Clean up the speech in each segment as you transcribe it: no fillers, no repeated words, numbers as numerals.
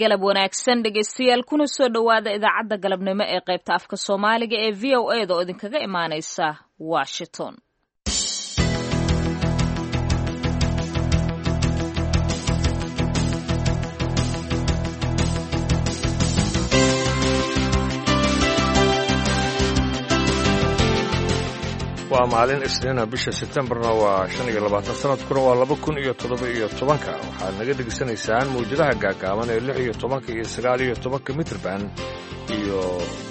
Galab wanaagsan dhegaystayaal, kuna soo dhowaada idaacadda galabnimo ee qaybta afka Soomaaliga ee VOA da oo idinkaga imaanaysa Washington. Waa maalin Isniina, bisha Sebtembarna waa 25, sanadkuna waa 2017-ka. Waxaad naga dhegaysanaysaan mawjadaha gaagaaban ee 16-ka iyo 19-ka mitrban iyo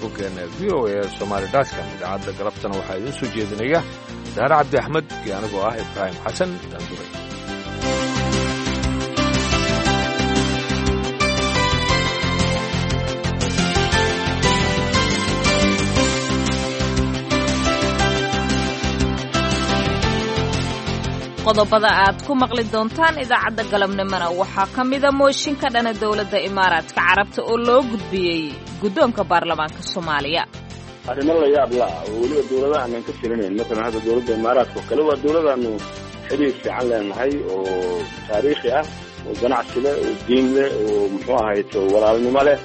boggeena VOA Somaali dotcom. Idaacadda galabtana waxaa idiin soo jeedinaya Daare Cabdi Axmed iyo anigoo ah Ibraahim Xasan Daanduray. Qodobada aad ku maqli doontaan idaacadda galabnimona waxaa ka mida mooshin ka dhana dowladda Imaaraadka Carabta oo loo gudbiyey guddoonka baarlamaanka Soomaaliya. Arrimo la yaab la ah oo weliba dowladaha aanan ka filinayn, masalan hadda dowladda Imaaraadka oo kale, waa dowladaanu xiriir fiican leenahay oo taariikhi ah oo ganacsi leh oo diin leh oo muxuu ahayd walaalnimo leh.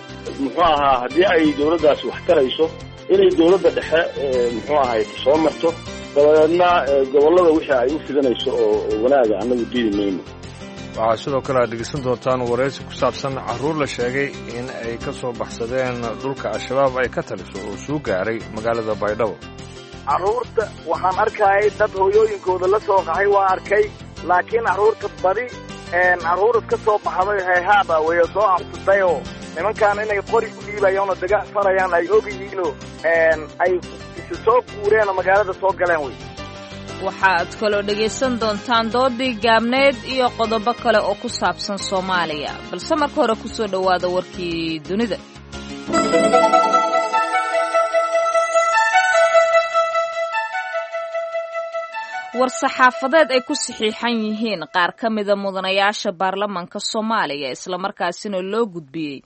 Muxuu ahaa, haddii ay dowladdaasi wax tarayso, inay dowladda dhexe muxuu ahayd soo marto, dabadeedna gobollada wixii ay u fidanayso oo wanaaga annagu diidi mayno. Waxaa sidoo kale aad dhegeysan doontaan waraysi ku saabsan carruur la sheegay in ay ka soo baxsadeen dhulka Al-Shabaab ay ka taliso oo soo gaaray magaalada Baydhabo. Carruurta waxaan arkayay dad hooyooyinkooda la soo qaxay waa arkay, laakiin carruurta badi carruur iska soo baxday heehaaba way soo cabsatayoo nimankaan inay qori u dhiibayaanoo dagaal farayaan ay og yihiinoo ay isu soo guureenoo magaalada soo galeen wey. Waxaad kaloo dhegaysan doontaan doodii gaabneed iyo qodobo kale oo ku saabsan Soomaaliya, balse marka hore ku soo dhowaada warkii dunida. War-saxaafadeed ay ku saxiixan yihiin qaar ka mida mudanayaasha baarlamaanka Soomaaliya, islamarkaasina loo gudbiyey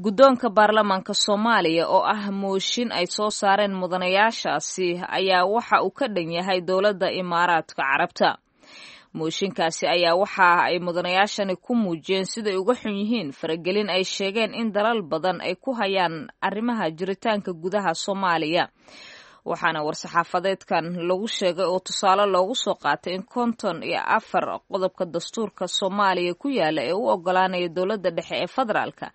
guddoonka baarlamaanka Soomaaliya, oo ah mooshin ay soo saareen mudanayaashaasi, ayaa waxa uu ka dhan yahay dowladda Imaaraadka Carabta. Mooshinkaasi ayaa waxa ay mudanayaashani ku muujiyeen siday uga xun yihiin faragelin ay sheegeen in dalal badan ay ku hayaan arrimaha jiritaanka gudaha Soomaaliya. Waxaana war-saxaafadeedkan lagu sheegay oo tusaale loogu soo qaatay in 54 qodobka dastuurka Soomaaliya ku yaala ee u ogolaanaya dowladda dhexe ee federaalka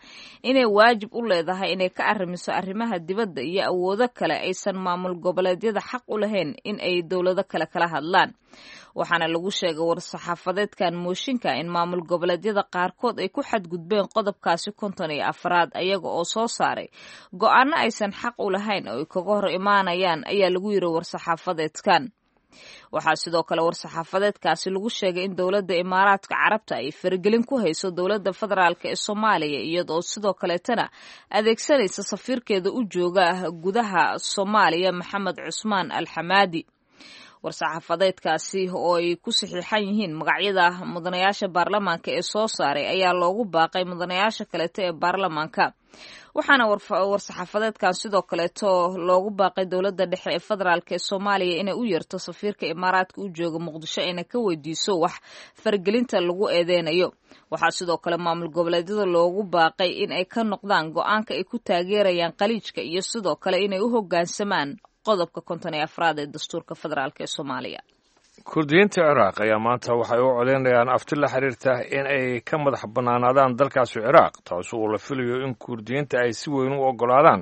inay waajib u leedahay inay ka arrimiso arrimaha dibadda iyo awoodo kale aysan maamul goboleedyada xaq u lahayn in ay dowlado kale kala hadlaan. Waxaana lagu sheegay war-saxaafadeedkan mooshinka in maamul goboleedyada qaarkood ay ku xadgudbeen qodobkaasi 54-aad, ayaga oo soo saaray go-aano aysan xaq u lahayn oo ay kaga hor imaanayaan, ayaa lagu yiri war-saxaafadeedkan. Waxaa sidoo kale war-saxaafadeedkaasi lagu sheegay in dowladda Imaaraadka Carabta ay faragelin ku hayso dowladda federaalk ee Soomaaliya, iyadoo sidoo kaleetana adeegsanaysa safiirkeeda u jooga gudaha Soomaaliya, Maxamed Cusmaan Alxamaadi. War-saxaafadeedkaasi oo ay ku saxiixan yihiin magacyada mudanayaasha baarlamaanka ee soo saaray ayaa loogu baaqay mudanayaasha kaleeto ee baarlamaanka. Waxaana war-saxaafadeedkan sidoo kaleeto loogu baaqay dowladda dhexe ee federaalk ee Soomaaliya inay u yeerto safiirka Imaaraadka u jooga Muqdisho ayna ka weydiiso wax faragelinta lagu eedeynayo. Waxaa sidoo kale maamul goboleedyada loogu baaqay in ay ka noqdaan go-aanka ay ku taageerayaan Qaliijka iyo sidoo kale inay u hoggaansamaan qodobka 54-aad ee dastuurka federaalk ee Soomaaliya. Kurdiyiinta Ciraaq ayaa maanta waxay u codeynayaan afti la xiriirta in ay ka madax bannaanaadaan dalkaasi Ciraaq, taas oo la filayo in Kurdiyiinta ay si weyn u oggolaadaan.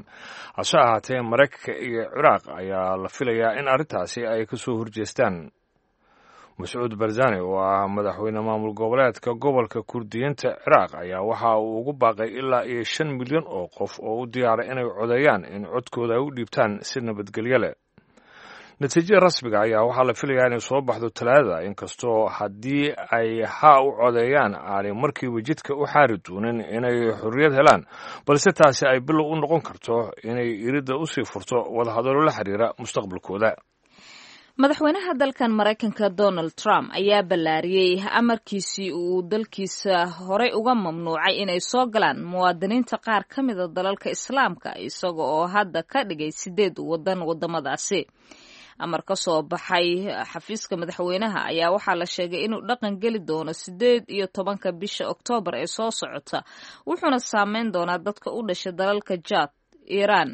Hase ahaatee, Maraykanka iyo Ciraaq ayaa la filayaa in arrintaasi ay ka soo horjeestaan. Mascuud Barzani oo ah madaxweyne maamul goboleedka gobolka Kurdiyiinta Ciraaq ayaa waxa uu ugu baaqay ilaa iyo 5 milyan oo qof oo u diyaara inay codeeyaan in codkooda ay u dhiibtaan si nabadgelyo leh. Natiijada rasmiga ayaa waxaa la filayaa inay soo baxdo Talaadada, inkastoo haddii ay haa u codeeyaan aanay markiiba jidka u xaari doonin inay xorriyad helaan, balse taasi ay bilow u noqon karto inay iridda usii furto wadahadallo la xiriira mustaqbalkooda. Madaxweynaha dalkan Maraykanka Donald Trump ayaa ballaariyey amarkiisii uu dalkiisa horey uga mamnuucay inay soo galaan muwaadiniinta qaar ka mida dalalka Islaamka, isaga oo hadda ka dhigay sideed waddan waddamadaasi. Amar ka soo baxay xafiiska madaxweynaha ayaa waxaa la sheegay inuu dhaqan geli doono 18-ka bisha Oktoobar ee soo socota, wuxuuna saameyn doonaa dadka u dhashay dalalka Jaad, Iiraan,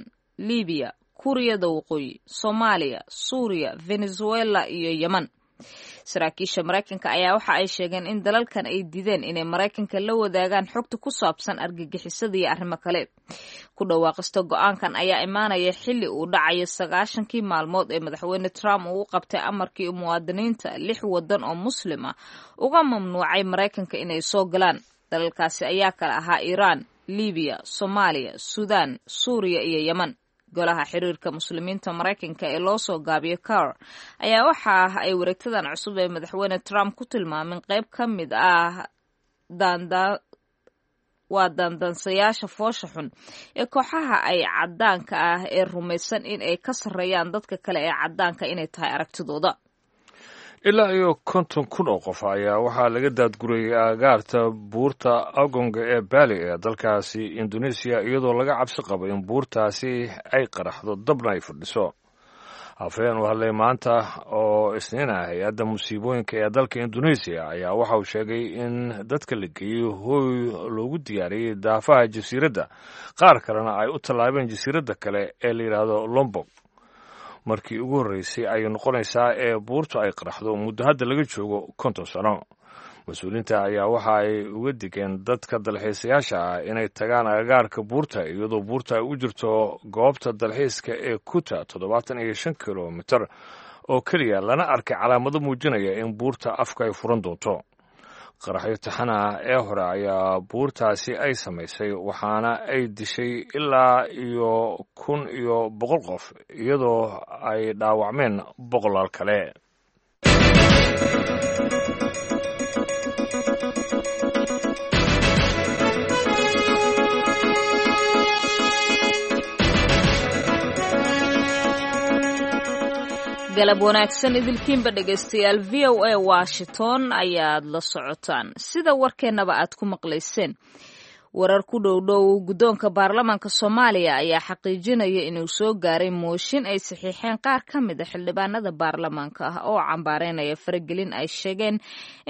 Libiya, Kuuriyada Waqooyi, Soomaaliya, Suuriya, Venezuela iyo Yeman. Saraakiisha Maraykanka ayaa waxa ay sheegeen in dalalkan ay diideen inay Maraykanka la wadaagaan xogta ku saabsan argagixisada iyo arrimo kale. Ku dhawaaqista go-aankan ayaa imaanaya xilli uu dhacayo 90-kii maalmood ee madaxweyne Trump uu u qabtay amarkii muwaadiniinta lix wadan oo muslim ah uga mamnuucay Maraykanka inay soo galaan. Dalalkaasi ayaa kala ahaa Iiraan, Libiya, Soomaaliya, Suudaan, Suuriya iyo Yeman. Golaha Xiriirka Muslimiinta Maraykanka ee loo soo gaabiyo CAIR ayaa waxa ay wareegtadan cusub ee madaxweyne Trump ku tilmaameen qayb ka mid ah waa daandaansayaasha foosha xun ee kooxaha ay caddaanka ah ee rumaysan in ay ka sarreeyaan dadka kale ee caddaanka inay tahay aragtidooda. Ilaa iyo 50,000 oo qof ayaa waxaa laga daadgurayay aagaarta buurta Agonga ee Bali ee dalkaasi Indonesiya, iyadoo laga cabsi qabo in buurtaasi ay qaraxdo dabna ay fadhiso. Afhayeen u hadlay maanta oo Isniin ah hay-adda musiibooyinka ee dalka Indonesiya ayaa waxa uu sheegay in dadka la geeyey hooy loogu diyaariyey daafaha jasiiradda, qaar kalena ay u tallaabeen jasiiradda kale ee la yidhaahdo Lombok. Markii ugu horreysay ayay noqonaysaa ee buurtu ay qaraxdo muddo hadda laga joogo 50 sano. Mas-uuliyiinta ayaa waxa ay uga digeen dadka dalxiisayaasha ah inay tagaan agagaarka buurta, iyadoo buurta ay u jirto goobta dalxiiska ee Kuta 75 kilomitir oo keliya, lana arkay calaamado muujinaya in buurta afka ay furan doonto. Qaraxyo taxana ah ee hore ayaa buurtaasi ay samaysay, waxaana ay dishay ilaa iyo 1100 qof, iyadoo ay dhaawacmeen boqolaal kale. Galab wanaagsan idilkiinba dhegaystayaal, VOA Washington ayaad la socotaan. Sida warkeennaba aad ku maqlayseen, warar ku dhow dhow guddoonka baarlamaanka Soomaaliya ayaa xaqiijinaya inuu soo gaaray mooshin ay saxiixeen qaar ka mid a xildhibaanada baarlamaanka ah oo cambaareynaya faragelin ay sheegeen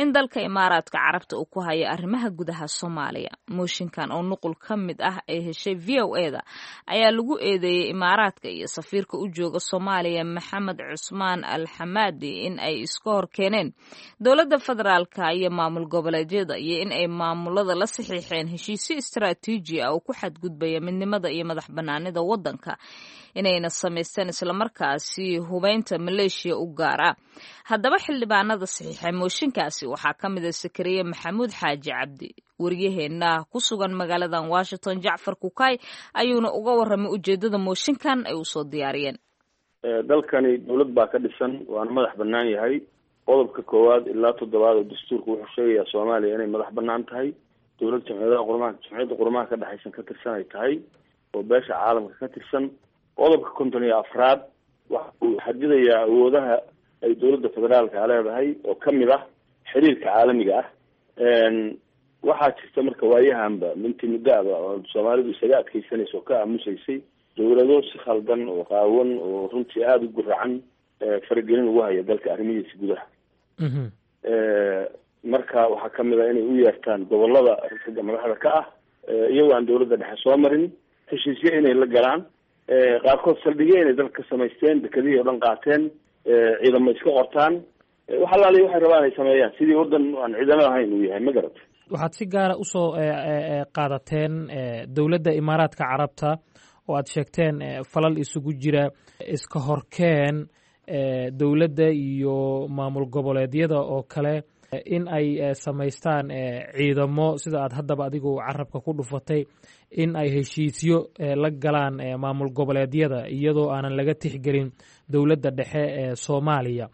in dalka Imaaraadka Carabta uu ku hayo arrimaha gudaha Soomaaliya. Mooshinkan oo nuqul ka mid ah ay heshay VOA-da ayaa lagu eedeeyey Imaaraadka iyo safiirka u jooga Soomaaliya, Maxamed Cusmaan Al Xamaadi, in ay iska hor keeneen dowladda federaalka iyo maamul goboleedyada, iyo in ay maamulada la saxiixeen heshiisyo istaraatiiji ah oo ku xadgudbaya midnimada iyo madax banaanida waddanka, inayna samaysteen islamarkaasi hubeynta maleeshiya u gaar ah. Haddaba xildhibaanada saxiixay mooshinkaasi waxaa ka mid ah Sakariye Maxamuud Xaaji Cabdi. Waryaheena ku sugan magaaladan Washington, Jacfar Kukay, ayuuna uga warramay ujeedada mooshinkan ay usoo diyaariyeen. Dalkani dowlad baa ka dhisan, waana madax bannaan yahay. Qodobka koowaad ilaa toddobaad oo dastuurka wuxuu sheegayaa Soomaaliya inay madax bannaan tahay, dowlad jamciyadaha qurmaha, jamciyadda qurmaha ka dhexaysan ka tirsan ay tahay oo beesha caalamka ka tirsan. Qodobka 54aad waxa uu xadidayaa awoodaha ay dowladda federaalka leedahay, oo kamid ah xiriirka caalamiga ah. Waxaa jirta marka waayahanba minti muddaaba oo Soomaalidu isaga adkeysanaysa oo ka aamusaysay dowlado si khaldan oo qaawan oo runtii aada u guracan faragelin ugu haya dalka arrimihiisa gudaha. Marka waxaa kamid ah inay u yeertaan gobolada ragga madaxda ka ah, iyagoo aan dowladda dhexe soo marin, heshiisyo inay la galaan, qaarkood saldhigyo inay dalka ka samaysteen, dekedihii oo dhan qaateen, ciidamo iska qortaan, wax allaaliya waxay rabaan ay sameeyaan, sidii waddan aan ciidamo ahayn uu yahay, ma garat? Waxaad si gaara usoo qaadateen dowladda Imaaraadka Carabta oo aad sheegteen falal isugu jira iska horkeen dowladda iyo maamul goboleedyada oo kale, in ay samaystaan ciidamo, sida aad haddaba adigu carabka ku dhufatay, in ay heshiisyo la galaan maamul goboleedyada iyadoo aanan laga tixgelin dowladda dhexe ee Soomaaliya.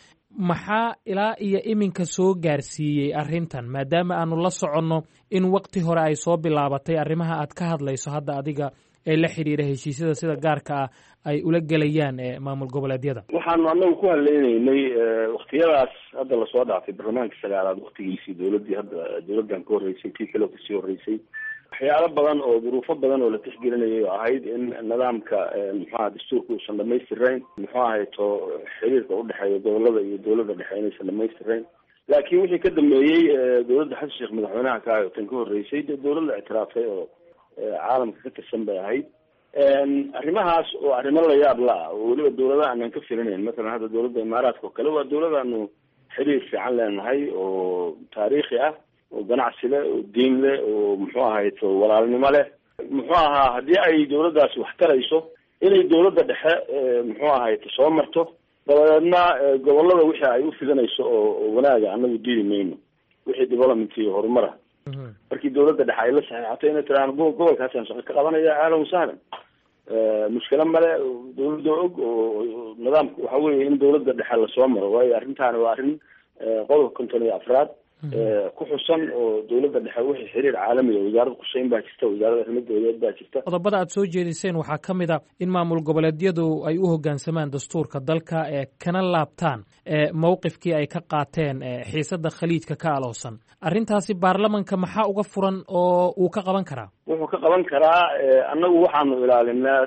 Maxaa ilaa iyo iminka soo gaarsiiyey arrintan, maadaama aanu la soconno in waqti hore ay soo bilaabatay arrimaha aad ka hadlayso hadda adiga ee la xiriira heshiisyada sida gaarka ah ay ula gelayaan maamul goboleedyada? Waxaanu anagu ku hadlaynaynay waktiyadaas hadda lasoo dhaafay, barlamaankii sagaalaad waktigiisii, dowladdii hadda dowladdan ka horreysay, tii kale kasii horreysay, Waxyaalo badan oo duruufo badan oo la tixgelinayay oo ahayd in nidaamka muxuaha dastuurka uusan dhamaystirayn, muxuu ahay to xiriirka udhexeeya gobolada iyo dowladda dhexe inaysan dhamaystirayn. Laakiin wixii ka dambeeyey dowladda Xasan Sheekh madaxweynaha ka ahay oo tan ka horreysay, dee dowlad la ictiraafay oo caalamka ka tirsan bay ahayd. Arrimahaas oo arrimo la yaab la ah oo weliba dowladaha aanan ka filinayn, mathalan hadda dowladda Imaaraadka oo kale waa dowlad aanu xiriir fiican leenahay oo taariikhi ah oo ganacsi leh oo diin leh oo muxuu ahay to walaalnimo leh. Muxuu ahaa haddii ay dowladdaasi wax tarayso inay dowladda dhexe muxuu ahay to soo marto, dabadeedna gobolada wixii ay u fidanayso oo wanaaga anagu diidi mayno, wixii development iyo horumara markii dowladda dhexe ay la saxiixato inay tiraan gobolkaasaan shaqo ka qabanaya, ahlan wasahlan, mushkilo male. Dowladda og oo nidaamka waxa weeye in dowladda dhexe lasoo maro, waayo arrintaani waa arrin qodobka 54aad ku xusan oo dowladda dhexe wixii xiriir caalamiga wasaaradda qushayn baa jirta, wasaaradda arrimo dowladeed baa jirta. Qodobada aad soo jeediseen waxaa ka mid a in maamul goboleedyadu ay u hoggaansamaan dastuurka dalka ee kana laabtaan mowqifkii ay ka qaateen xiisadda Khaliijka ka aloosan. Arrintaasi baarlamanka maxaa uga furan oo uu ka qaban karaa? Wuxuu ka qaban karaa, annagu waxaanu ilaalinaa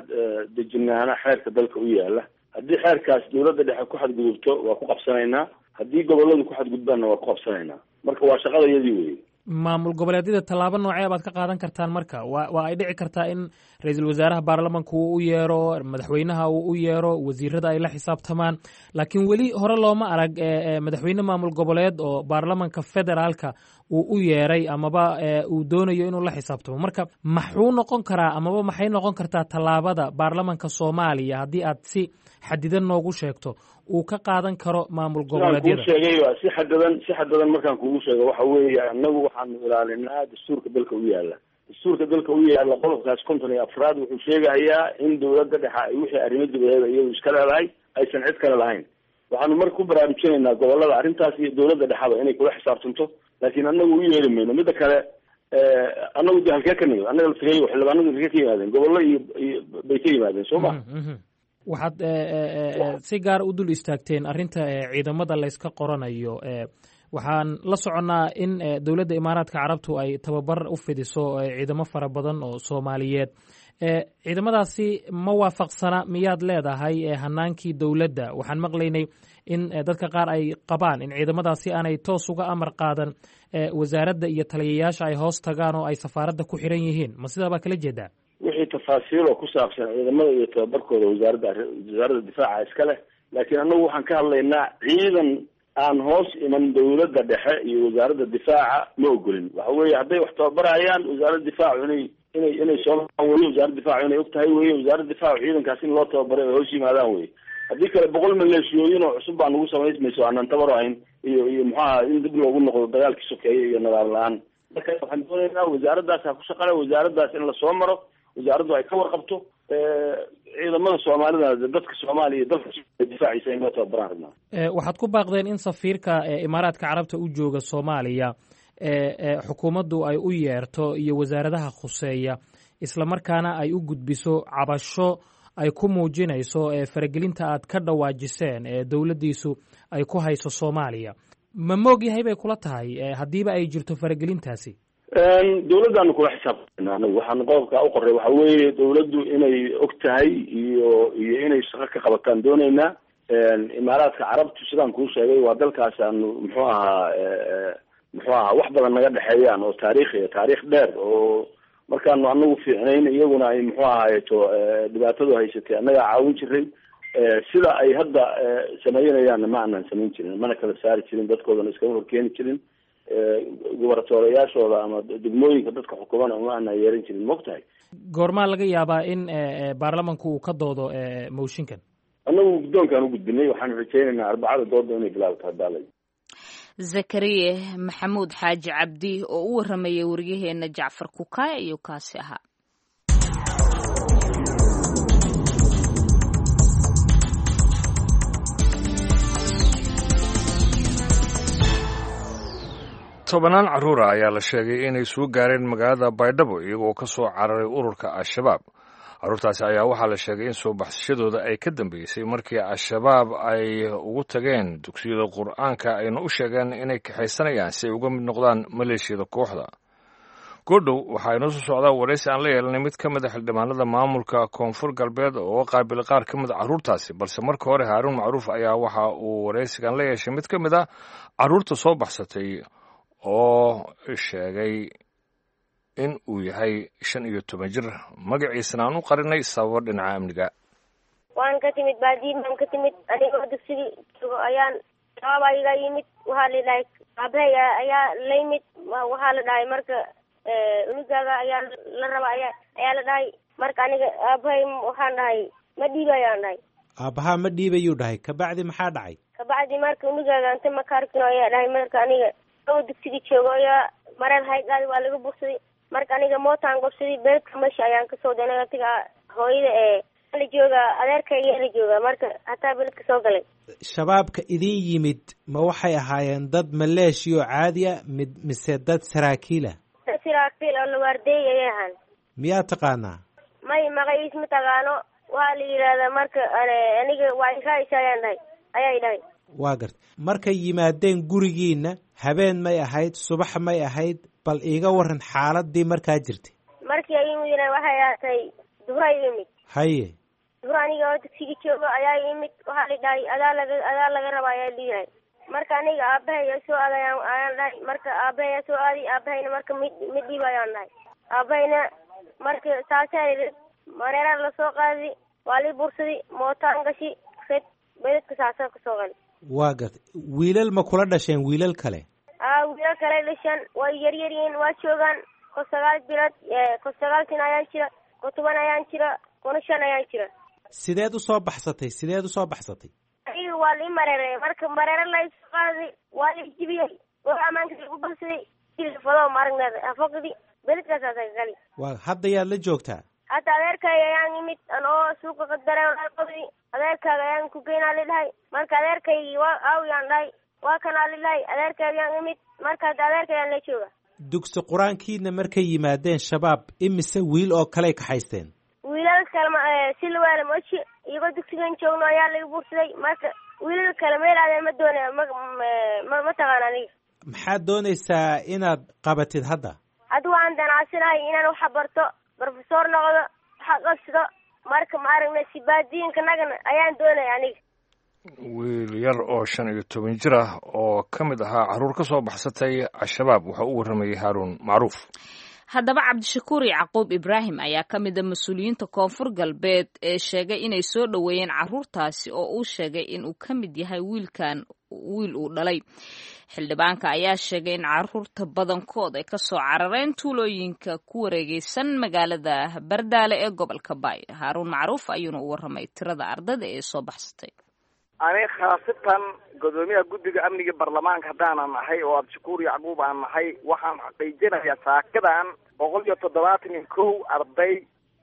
dejinaana xeerka dalka u yaala. Haddii xeerkaas dowladda dhexe ku xadgudubto waa ku qabsanaynaa, haddii goboladu ku xadgudbaanna waa ku qabsanaynaa. Marka waa shaqada iyadii weeye. Maamul goboleedyada tallaabo noocee baad ka qaadan kartaan? Marka waa ay dhici kartaa in ra-iisul wasaaraha baarlamanka uu u yeero, madaxweynaha uu u yeero, wasiirada ay la xisaabtamaan, laakiin weli hore looma arag madaxweyne maamul goboleed oo baarlamanka federaalka uu u yeeray amaba uu doonayo inuu la xisaabtamo. Marka maxuu noqon karaa amaba maxay noqon kartaa tallaabada baarlamanka Soomaaliya, haddii aad si xadidan noogu sheegto, uu ka qaadan karo maamul goboleedyada? Sheegay si xadadan, si xadadan markaan kugu sheego, waxa weeye annagu waxaanu ilaalinaa dastuurka dalka u yaala. Dastuurka dalka u yaala qodobkaas 54aad wuxuu sheegayaa in dowladda dhexe ay wixii arrimo dibadeed iyadu iska leedahay, aysan cid kale lahayn. Waxaanu marka ku baraarujinaynaa gobolada arrintaas iyo dowladda dhexaba inay kula xisaabtanto, laakiin annagu u yeeri mayno. Midda kale, annagu de halkee ka nimid? Annaga laftigeeyo xildhibaanadu halkee ka yimaadeen? Gobollo iyo bay ka yimaadeen, soo ma? Waxaad si gaara u dul istaagteen arrinta ciidamada layska qoranayo. Waxaan la soconnaa in dowladda Imaaraadka Carabtu ay tababar u fidiso ciidamo fara badan oo Soomaaliyeed. Ciidamadaasi ma waafaqsana miyaad leedahay hanaankii dowladda? Waxaan maqlaynay in dadka qaar ay qabaan in ciidamadaasi aanay toos uga amar qaadan wasaaradda iyo taliyayaasha, ay hoos tagaan oo ay safaaradda ku xiran yihiin. Ma sidaa baa kala jeedaa? Wixii tafaasiil oo ku saabsan ciidamada iyo tababarkooda wasaaradda difaaca iska leh, laakiin annagu waxaan ka hadlaynaa ciidan aan hoos iman dowladda dhexe iyo wasaaradda difaaca ma ogolin. Waxa weeye hadday wax tababarayaan, wasaaradda difaacu inay soo weye, wasaaradda difaacu inay og tahay weye, wasaaradda difaacu ciidankaas in loo tababaray ay hoos yimaadaan weye. Haddii kale 100 maleeshiyooyin oo cusub baa nagu samaysmayso aanan tabar ahayn iyo muxuaha in dib loogu noqdo dagaalkii sokeeye iyo nidaam la-aan. Marka waxaan doonaynaa wasaaraddaas ha ku shaqale, wasaaraddaas in lasoo maro, wasaaraddu ay ka warqabto ciidamada Soomaalida, dadka Soomaaliya iyo dalka difaaciisa in loo tababaraan rabnaa. Waxaad ku baaqdeen in safiirka Imaaraadka Carabta u jooga Soomaaliya xukuumaddu ay u yeerto iyo wasaaradaha khuseeya, islamarkaana ay u gudbiso cabasho ay ku muujinayso faragelinta aad ka dhawaajiseen ee dowladdiisu ay ku hayso Soomaaliya. Ma moog yahay bay kula tahay haddiiba ay jirto faragelintaasi? Dowladdaanu kula xisaabtana. Anagu waxaanu qodobkaa u qoray waxa weeye dowladdu inay og tahay iyo inay shaqo ka qabataan dooneynaa. Imaaraadka Carabtu, sidaan kuu sheegay, waa dalkaas aanu muxuu ahaa wax badan naga dhexeeyaan oo taariikhi, taariikh dheer oo markaanu anagu fiicnayn iyaguna ay muxuu ahaayeto dhibaatadu haysatay annagaa caawin jiray. Sida ay hadda sameynayaanna ma aanan samayn jirin, mana kala saari jirin, dadkoodana iskama horkeeni jirin, gubaratoolayaashooda ama degmooyinka dadka xukumana uma aanan yeeran jirin, maogtahay. Goormaa laga yaabaa in baarlamanku uu ka doodo mooshinkan? Annagu guddoonkaan u gudbinay, waxaanu rajaynaynaa Arbacada dooda inay bilaabto hadaalay. Zakariye Maxamuud Xaaji Cabdi oo u waramayay waryaheena Jacfar Kukaaya iyo kaasi ahaa. Tobanaan carruura ayaa la sheegay inay soo gaareen magaalada Baydhabo iyagoo ka soo cararay ururka Al-Shabaab. Carruurtaasi ayaa waxaa la sheegay in soo baxsashadooda ay ka dambeysay markii Al-Shabaab ay ugu tageen dugsiyada Qur-aanka ayna u sheegeen inay kaxaysanayaan si ay uga mid noqdaan maleeshiyada kooxda. Goodhow waxaa inoo soo socdaa waraysi aan la yeelanay mid ka mid a xildhibaanada maamulka Koonfur Galbeed oo qaabilay qaar ka mid a carruurtaasi, balse marka hore Haaruun Macruuf ayaa waxa uu waraysigan la yeeshay mid ka mid a carruurta soo baxsatay oo sheegay in uu yahay 15 jir, magaciisana aan u qarinay sababo dhinaca amniga. Waan ka timid baadiyi baan ka timid. Anigoo dugsigii joogo ayaan shabaab iga yimid. Waxaa la dhahay aabahay ayaa la yimid. Waxaa la dhahay marka unugaaga ayaa la raba ayaa la dhahay. Marka aniga aabahay waxaan dhahay ma dhiibayaan dhahay. Aabbahaa ma dhiibayuu dhahay. Kabacdi maxaa dhacay? Kabacdi marka unugaaga inta makaarkino ayaa dhahay. Marka aniga oo dugsigii joogo ayaa mareer haygaadi waa laga bugsaday. Marka aniga mootaan gobsaday, beerka meesha ayaan kasoo danay. Atiga hooyada ee la jooga, adeerkayga la jooga, marka hataa beledka soo galay. Shabaabka idin yimid ma waxay ahaayeen dad maleeshiya oo caadi a mid mise dad saraakiila? Dad saraakiil oo lawaardeey ayay ahaan. Miyaa taqaanaa? May, magaciis ma taqaano. Waa la yidhaahdaa marka aniga waa iraa'is ayaan dhahay ayay dhahay. Waa garta. Markay yimaadeen gurigiina, habeen may ahayd, subax may ahayd? Bal iiga waran xaaladii markaa jirtay. Markii ay yimidna waxay ahaatay duhura yimid. Haye. Duhur aniga oo dugsiga joogo ayaa yimid. Waxaa la dhahay adaa laga raba ayaa liyahay. Marka aniga aabahay soo aaday ayaan dhahay. Marka aabahay soo aaday, aabahayna marka mid dhiib ayaan dhahay. Aabahayna marka saasaa mareeraa lasoo qaaday, waa lii bursaday, mootaan gashi red beledka saasaa kasoo galay. Waa gartay. Wiilal ma kula dhasheen wiilal kale? Aa, wiilal kale dhashaan, way yaryar yihiin, waa joogaan. Ko 9 bilood, ko 9 sin ayaan jira, ko 10 ayaan jira, kona 5 ayaan jira. Sideed usoo baxsatay? Sideed usoo baxsatay? Aniga waa lii mareeray. Marka mareere laysoo qaaday, waa la jibiyey oo amaanka lagu baxsaday fado maaragneed hafaqdi beledkaasaasa gali. Waa hadda yaad la joogtaa? Hadda adeerkayga ayaan imid anoo suuqa qadare. Adeerkaaga ayaan ku geynaa la dhahay. Marka adeerkaygii waa aawiyaan dhahay, waa kanaa la dhahay. Adeerkayga ayaan imid, marka hadda adeerkaygaan la jooga. Dugsi qur-aankiina markay yimaadeen shabaab, imise wiil oo kaley kaxaysteen? Wiilal kale si lawaala moji iyagoo dugsigan joogno ayaa laga buursaday. Marka wiilal kale meel aadeen ma doonaya, ma taqaan aniga. Maxaad doonaysaa inaad qabatid hadda? Hadda waan danacsanahay inaan waxa barto, brofesor noqdo, waxa qabsado. Marka ma aragna sibaadiinka nagana ayaan doonaya aniga. Wiil yar oo 15 jir ah oo ka mid ahaa carruur ka soo baxsatay Al-Shabaab wuxuu u warramayay Haaruun Macruuf. Haddaba Cabdishakuur Yacquub Ibraahim ayaa ka mid a mas-uuliyiinta Koonfur Galbeed ee sheegay inay soo dhoweeyeen carruurtaasi, oo uu sheegay inuu ka mid yahay wiilkan wiil uu dhalay. Xildhibaanka ayaa sheegay in carruurta badankood ay kasoo carareen tuulooyinka ku wareegeysan magaalada Bardaale ee gobolka Baay. Haaruun Macruuf ayuuna u warramay tirada ardada ee soo baxsatay. Ani khaasatan gudoomiyaha guddiga amniga baarlamaanka haddaanan ahay oo Cabdishakuur Yacquub aan nahay, waxaan xaqiijinayaa saakadan 171 arday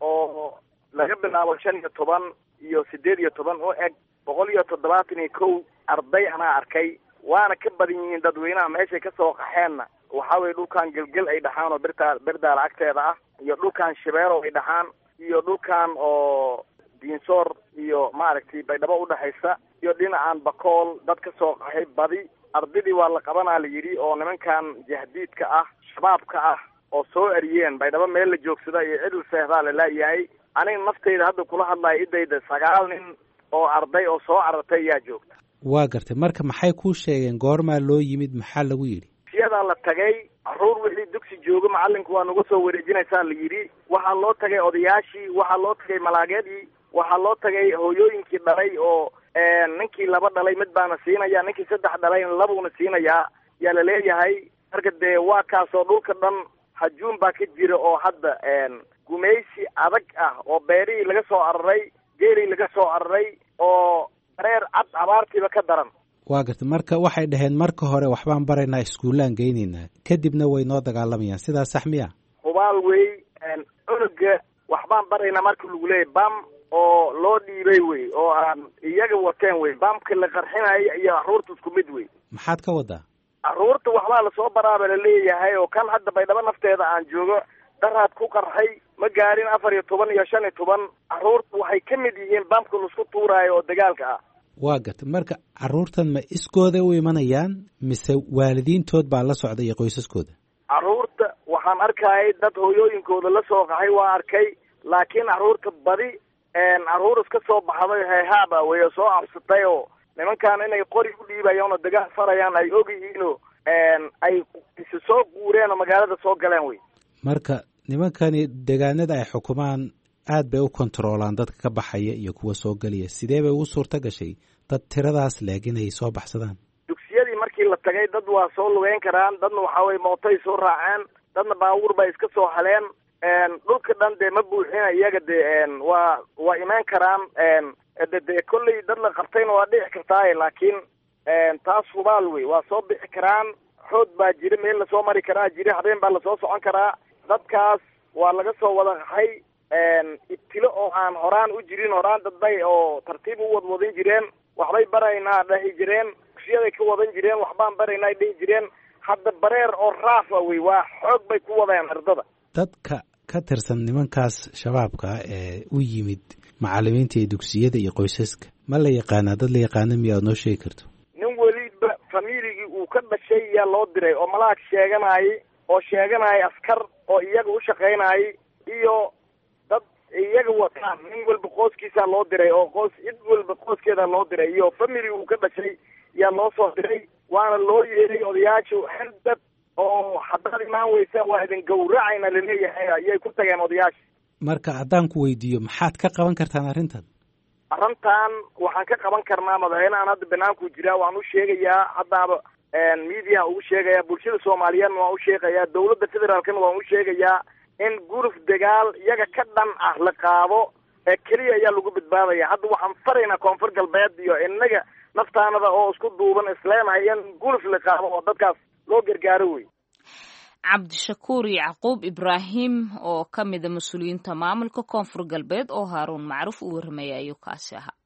oo laga bilaabo 15 iyo 18 oo eg 171 arday anaa arkay, waana ka badan yihiin dadweynaha meeshay kasoo qaxeenna. Waxaa weye dhulkan Gelgel ay dhaxaan oo birtaa Berdaala agteeda ah, iyo dhulkan Shibeerow ay dhaxaan, iyo dhulkan oo Diinsoor iyo maaragtay Baydhabo udhexaysa, iyo dhinacan Bakool dad ka soo qaxay badi. Ardaydii waa la qabanaa la yidhi oo nimankan jahdiidka ah, shabaabka ah oo soo eriyeen Baydhabo meel la joogsada iyo cidil seexdaa la laayahay. Aniga naftayda hadda kula hadlaya idayda 9 nin oo arday oo soo carartay ayaa joogta. Waa gartay. Marka maxay kuu sheegeen? Goormaa loo yimid? Maxaa lagu yidhi? Siyadaa la tagay carruur wixii dugsi joogo macalinku waa nagu soo wareejinaysaa la yidhi. Waxaa loo tagay odayaashii, waxaa loo tagay malaageedii, waxaa loo tagay hooyooyinkii dhalay oo ninkii 2 dhalay mid baana siinaya, ninkii 3 dhalayna labuuna siinayaa yaa laleeyahay. Marka dee waa kaasoo dhulka dhan hajuun baa ka jira oo hadda gumaysi adag ah oo beerihii laga soo araray, geelii laga soo araray oo dareer cad abaartiiba ka daran. Waa gartay. Marka waxay dhaheen marka hore waxbaan baraynaa, iskuullaan geynaynaa, kadibna way noo dagaalamayaan, sidaas sax miya? Hubaal wey. Cunuga waxbaan baraynaa marka lagu leeyay bam oo loo dhiibay wey oo aan iyaga wateen wey. Bamka la qarxinayo iyo carruurta isku mid wey. Maxaad ka wadaa? Carruurta waxbaa lasoo baraaba laleeyahay oo kan hadda Baydhabo nafteeda aan joogo daraad ku qarxay ma gaarin 14 iyo 15. Carruurta waxay ka mid yihiin bamka laisku tuuraayo oo dagaalka ah. Waa gartay. Marka carruurtan ma iskooda u imanayaan mise waalidiintood baa la socda iyo qoysaskooda? Carruurta Waxaan arkayay dad hooyooyinkooda la soo qaxay, waa arkay, laakiin carruurta badi carruur iska soo baxday heehaaba wey soo cabsatay oo nimankan inay qori u dhiibayaan oo dagaal farayaan ay ogyihiinoo ay isu soo guureen oo magaalada soo galeen wey. Marka nimankani deegaanada ay xukumaan aad bay u kontaroolaan dadka ka baxaya iyo kuwa soo gelaya. Sidee bay ugu suurta gashay dad tiradaas leeg inay soo baxsadaan? Dugsiyadii markii la tagay dad waa soo lugeyn karaan, dadna waxaa weye mootay soo raaceen, dadna baabuur bay iska soo haleen. Dhulka dhan dee ma buuxina iyaga, dee waa imaan karaan. De kolley dad la qabtayna waa dhici kartaaye, laakiin taas hubaal wey, waa soo bixi karaan. Xood baa jira, meel lasoo mari karaa jira, habeen baa lasoo socon karaa. Dadkaas waa laga soo wada qaxay ibtilo oo aan horaan u jirin. Horaan dadbay oo tartiib u wadwadin jireen, waxbay baraynaa dhahi jireen, dugsiyaday ka wadan jireen, waxbaan baraynaa dhihi jireen. Hadda bareer oo raafa wey, waa xoog bay ku wadeen ardada. Dadka ka tirsan nimankaas shabaabka ee u yimid macalimiinta iyo dugsiyada iyo qoysaska ma la yaqaanaa? Dad la yaqaana miya aad noo sheegi karto? Nin weliba familigii uu ka dhashay yaa loo diray oo malaag sheeganayay, oo sheeganaya askar oo iyaga u shaqaynayay iyo dad iyaga wataan. Nin walba qoyskiisaa loo diray oo qoys cid walba qoyskeedaa loo diray iyo family uu ka dhashay yaa loo soo diray, waana loo yeeray odayaashu. Xerdad oo haddaad imaan weysa waa idin gawracayna laleeyahay ayay ku tageen odayaasha. Marka haddaan ku weydiiyo, maxaad ka qaban kartaan arrintan? Arrintan waxaan ka qaban karnaa, madaxweynehan hadda banaanku jiraa, waan u sheegayaa, haddaaba mediaha ugu sheegayaa, bulshada soomaaliyeedna waan u sheegayaa, dawladda federaalkana waan u sheegayaa in guruf dagaal iyaga ka dhan ah la qaado ee keliya ayaa lagu badbaadaya. Hadda waxaan faraynaa Koonfur Galbeed iyo innaga naftaanada oo isku duuban isleenahay in guruf la qaado oo dadkaas loo gargaaro wey. Cabdishakuur Yacquub Ibraahim oo ka mida mas-uuliyiinta maamulka Koonfur Galbeed oo Haaruun Macruuf uu warramaya ayuu kaasi ahaa.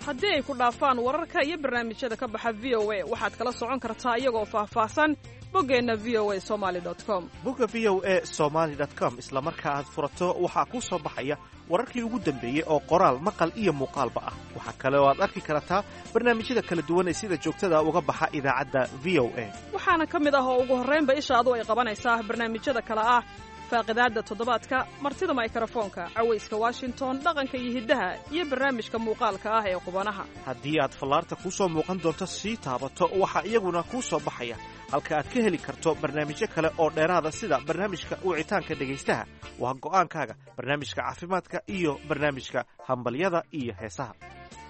Haddii ay ku dhaafaan wararka iyo barnaamijyada ka baxa V O A, waxaad kala socon kartaa iyagoo faahfaahsan boggeenna V O A Somaly com. Bogga V O A Somaly com isla marka aad furato waxaa kuu soo baxaya wararkii ugu dambeeyey oo qoraal, maqal iyo muuqaalba ah. Waxaa kale oo aad arki kartaa barnaamijyada kala duwan ee sida joogtada uga baxa idaacadda V O A. Waxaana ka mid ah oo ugu horraynba ishaadu ay qabanaysaa barnaamijyada kale ah faaqidaadda toddobaadka, martida maykarafoonka, cawayska Washington, dhaqanka iyo hiddaha, iyo barnaamijka muuqaalka ah ee qubanaha. Haddii aad fallaarta kuu soo muuqan doonto sii taabato, waxaa iyaguna kuu soo baxaya halka aad ka heli karto barnaamijyo kale oo dheeraada, sida barnaamijka wicitaanka dhegaystaha, waa go'aankaaga, barnaamijka caafimaadka iyo barnaamijka hambalyada iyo heesaha.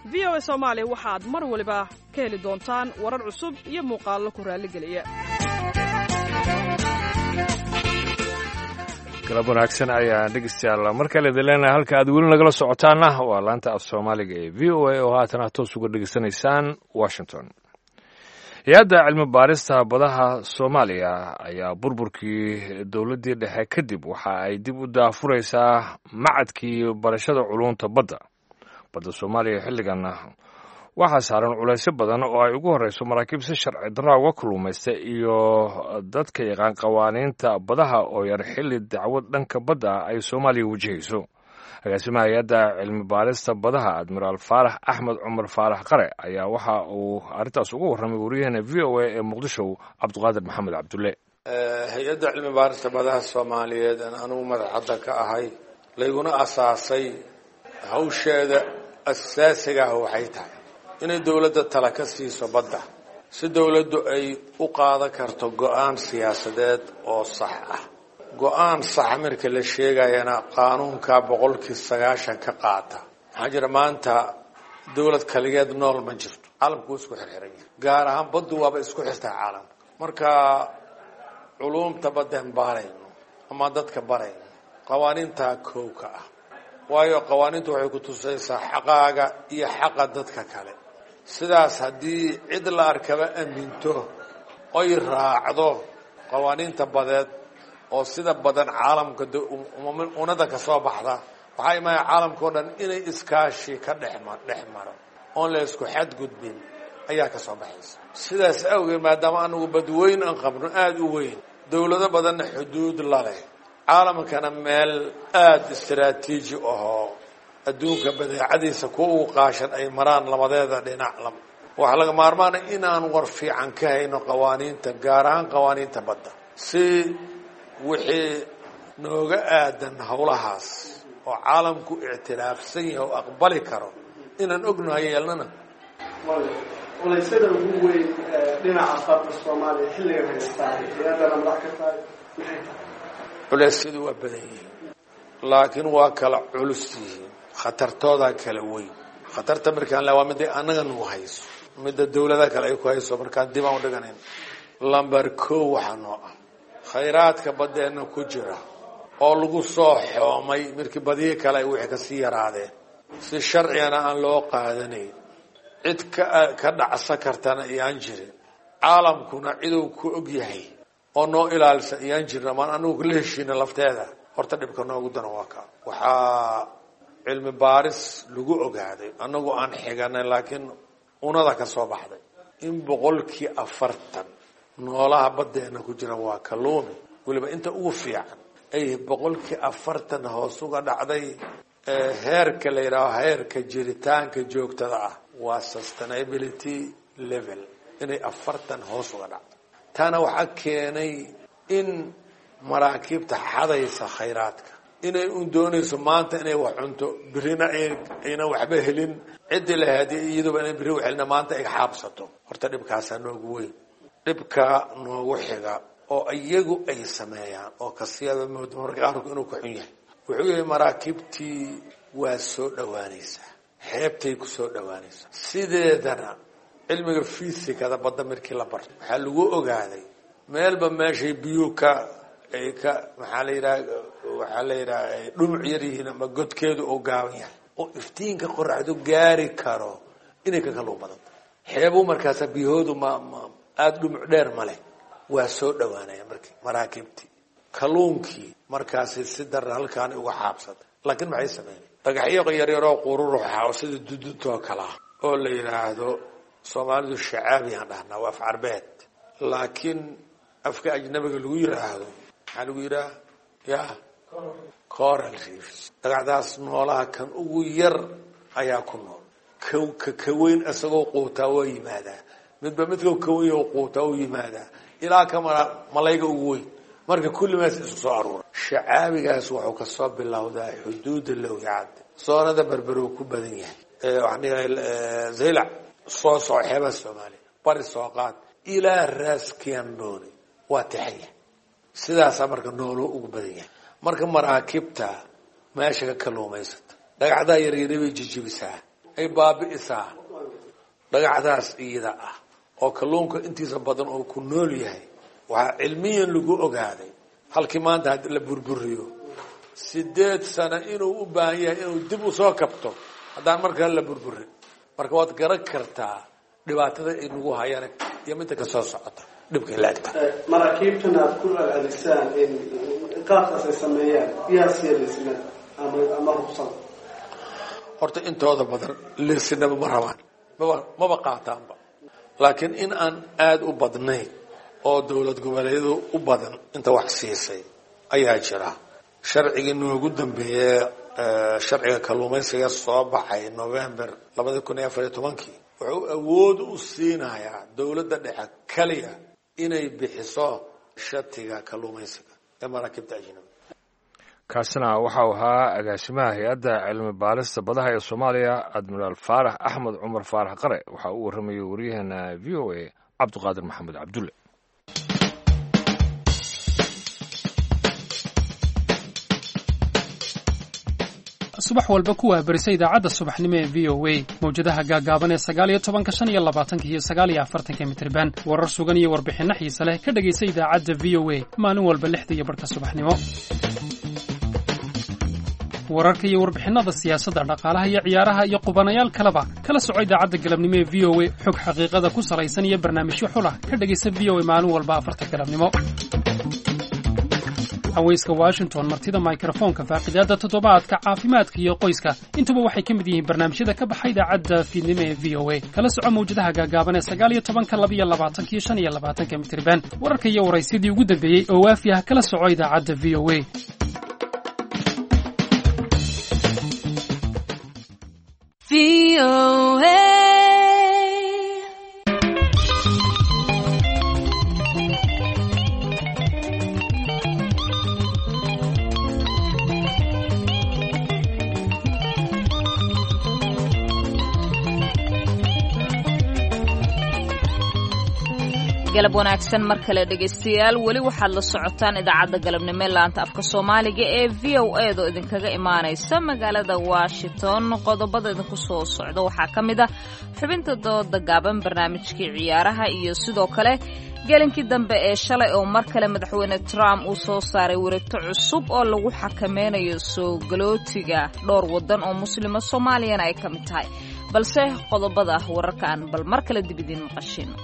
V O A Soomaali waxaad mar waliba ka heli doontaan warar cusub iyo muuqaallo ku raalligeliya. Galab wanaagsan ayaan dhegeystayaal mar kale idin leenahay. Halka aad weli nagala socotaana waa laanta af Soomaaliga ee V O A oo haatan aad toos uga dhegeysanaysaan Washington. Hay-adda cilmi baarista badaha Soomaaliya ayaa burburkii dowladdii dhexe kadib waxa ay dib u daafuraysaa macadkii barashada culunta badda. Badda Soomaaliya xilligan waxaa saaran culaysyo badan oo ay ugu horreyso maraakiib si sharci darraa uga kulluumaysta iyo dadka yaqaan qawaaniinta badaha oo yar, xilli dacwad dhanka badda ah ay Soomaaliya wajahayso. Agaasimaha hay-adda cilmi baarista badaha, Admiraal Faarax Axmed Cumar Faarax Qare, ayaa waxa uu arrintaas uga warramay waryaheena V O A ee Muqdisho, Cabdiqaadir Maxamed Cabdulle. Hay-adda cilmi baarista badaha Soomaaliyeed aan anugu madaxadda ka ahay, layguna asaasay, hawsheeda asaasiga ah waxay tahay inay dowladda tala ka siiso badda, si dowladdu ay u qaadan karto go-aan siyaasadeed oo sax ah. Go-aan saxa marka la sheegayana qaanuunka 90% ka qaata. Maxaa jira, maanta dowlad kaligeed nool ma jirto, caalamku waa isku xirxiran yahay, gaar ahaan baddu waaba isku xirtaa caalamka. Marka culuumta baddeen baarayno ama dadka barayno qawaaniintaa kowka ah, waayo qawaaniintu waxay ku tusaysaa xaqaaga iyo xaqa dadka kale. Sidaas haddii cid la arkaba aminto oy raacdo qawaaniinta badeed oo sida badan caalamka unada ka soo baxda, waxaa imaaya caalamka o dhan inay iskaashi ka dhex maro oon la isku xadgudbin ayaa ka soo baxaysa. Sidaas awgeed, maadaama anagu badweyn aan qabno aada u weyn, dowlado badanna xuduud la leh, caalamkana meel aada istaraatiiji ahoo adduunka badeecadiisa kuwa ugu qaashan ay maraan labadeeda dhinac Waxaa laga maarmaana inaan war fiican ka hayno qawaaniinta, gaar ahaan qawaaniinta badda, si wixii nooga aadan howlahaas oo caalamku ictiraafsan yahay oo aqbali karo inaan ognahay yeelnana. Culaysyada ugu weyn dhinaca badda Soomaaliya xilligan haystaa, hay-addana madax ka tahay, maxay tahay? Culeysyadu waa badan yihiin, laakiin waa kala culus yihiin, khatartoodaa kala weyn. Khatarta markaan le waa midday annaga nagu hayso, midda dawladaha kale ay ku hayso markaan dib aan u dhiganayn. Lamber kow waxaa noo ah khayraadka baddeenna ku jira oo lagu soo xoomay markii badiyi kale ay wixii kasii yaraadeen, si sharcigana aan loo qaadanayn, cid ka dhacsa kartana iyaan jirin, caalamkuna ciduu ku og yahay oo noo ilaalisa iyaan jirin, amaan anagu kula heshiina lafteeda. Horta dhibka noogu daran waa kaa. Waxaa cilmi baaris lagu ogaaday, annagu aan xiganay laakiin unada ka soo baxday, in 40% noolaha baddeena ku jira waa kalluuni, weliba inta ugu fiican ay 40% hoos uga dhacday heerka la yidhaaho heerka jiritaanka joogtada ah, waa sustainability level, inay 40 hoos uga dhacdo. Taana waxaa keenay in maraakiibta xadaysa khayraadka inay un doonayso maanta inay wax cunto, birina aynan waxba helin, ciddii lahayd iyaduba inay biri wax helina, maanta ay xaabsato. Horta dhibkaasaa noogu weyn. Dhibka noogu xiga oo iyagu ay sameeyaan oo kasiyada moodo marka qaarku inuu ka xun yahay wuxuu yahay, maraakiibtii waa soo dhowaanaysaa, xeebtay ku soo dhowaanaysaa. Sideedana cilmiga fisikada badda markii la barto waxaa lagu ogaaday meelba meeshay biyuu ka ay ka maxaa la yidhaha, waxaa la yidhaha ay dhumuc yar yihiin ama godkeedu oo gaaban yahay oo iftiinka qoraxdu gaari karo inay ka kalluun badanta. Xeebuu markaasa biyahoodu ma aada dhumuc dheer ma leh, waa soo dhowaanaya markii maraakiibtii kalluunkii markaasi si darra halkaani uga xaabsata. Laakiin maxay sameynay? Dhagaxyo yaryaroo qururuxa oo sida duduntoo kale ah oo la yidhaahdo, Soomaalidu shacaabiyaan dhahnaa, waa af carbeed, laakiin afka ajnabiga lagu yidhaahdo maxaa lagu yidhaha? Ya, coral reefs. Dhagaxdaas noolaha kan ugu yar ayaa ku nool, ka kaweyn isagoo quutaa waa yimaadaa, midba midka kaweyn oo quutaa u yimaadaa, ilaa ka malayga ugu weyn. Marka kullimaas isku soo aruura. Shacaabigaas wuxuu kasoo bilowdaa xuduudda Lowyacad, soonada Berberuu ku badan yahay, waxaan dhihay Zaylac, soo soco xeebaha Soomaaliya, bari soo qaad ilaa Raaskiambooni, waa tixan yahay. Sidaasaa marka nooluu ugu badan yahay. Marka maraakiibta meesha ka kalluumaysata dhagaxdaa yaryari bay jijibisaa, ay baabi'isaa dhagaxdaas iyada ah oo kalluunka intiisa badan oo ku nool yahay. Waxaa cilmiyan lagu ogaaday halkii maanta haddi la burburiyo 8 sano inuu u baahan yahay inuu dib usoo kabto haddaan markale la burburin. Marka waad garan kartaa dhibaatada ay nagu hayaan iyo midda kasoo socota dhibka laagta. Maraakiibtan aad ku celcelisaan in qaabkaas ay sameeyaan, yaa siiya liisnada ama ruqsada? Horta intooda badan liisinaba ma rabaan, maba qaataanba, laakiin in aan aada u badnayn oo dowlad goboleedyadu u badan inta wax siisay ayaa jira. Sharcigii noogu dambeeyey, sharciga kalluumaysiga soo baxay November 2014-kii, wuxuu awood u siinayaa dowladda dhexe kaliya inay bixiso shatiga kalluumaysiga ee maraakiibta ajnabi. Kaasina waxau ahaa agaasimaha hay-adda cilmi baarista badaha ee Soomaaliya, Admiraal Faarax Axmed Cumar Faarax Qare. Waxaa u warramayay waryaheena VOA Cabdiqaadir Maxamed Cabdulle. Subax walba ku waabarisa idaacadda subaxnimo ee VOA, mawjadaha gaagaaban ee 19-ka, 25-ka iyo 49-ka mitirban. Warar sugan iyo warbixinno xiise leh ka dhegaysa idaacadda VOA maalin walba 6:30 subaxnimo. Wararka iyo warbixinnada siyaasadda, dhaqaalaha iyo ciyaaraha iyo qubanayaal kaleba kala soco idaacadda galabnimo ee VOA. Xog xaqiiqada ku salaysan iyo barnaamijyo xulah ka dhegaysa VOA maalin walba 4-ta galabnimo. Haweyska Washington, martida mikrofoonka, faaqidaadda toddobaadka, caafimaadka iyo qoyska, intuba waxay ka mid yihiin barnaamijyada ka baxa idaacadda fiidnimo ee VOA. Kala soco mawjadaha gaagaaban ee 19-ka, 22-ka iyo 25-ka mitirban. Wararka iyo waraysyadii ugu dambeeyey oo waafi ah kala soco idaacadda VOA. Galab wanaagsan mar kale dhegaystayaal, weli waxaad la socotaan idaacadda galabnimo ee laanta afka Soomaaliga ee VOA do idinkaga imaanaysa magaalada Washington. Qodobada idinku soo socda waxaa ka mid ah xubinta dooda gaaban, barnaamijkii ciyaaraha iyo sidoo kale gelinkii dambe ee shalay oo mar kale madaxweyne Trump uu soo saaray wareegto cusub oo lagu xakameynayo soo galootiga dhowr waddan oo muslima, Soomaaliyana ay ka mid tahay. Balse qodobada wararkaan bal mar kale dib idiin maqashiino.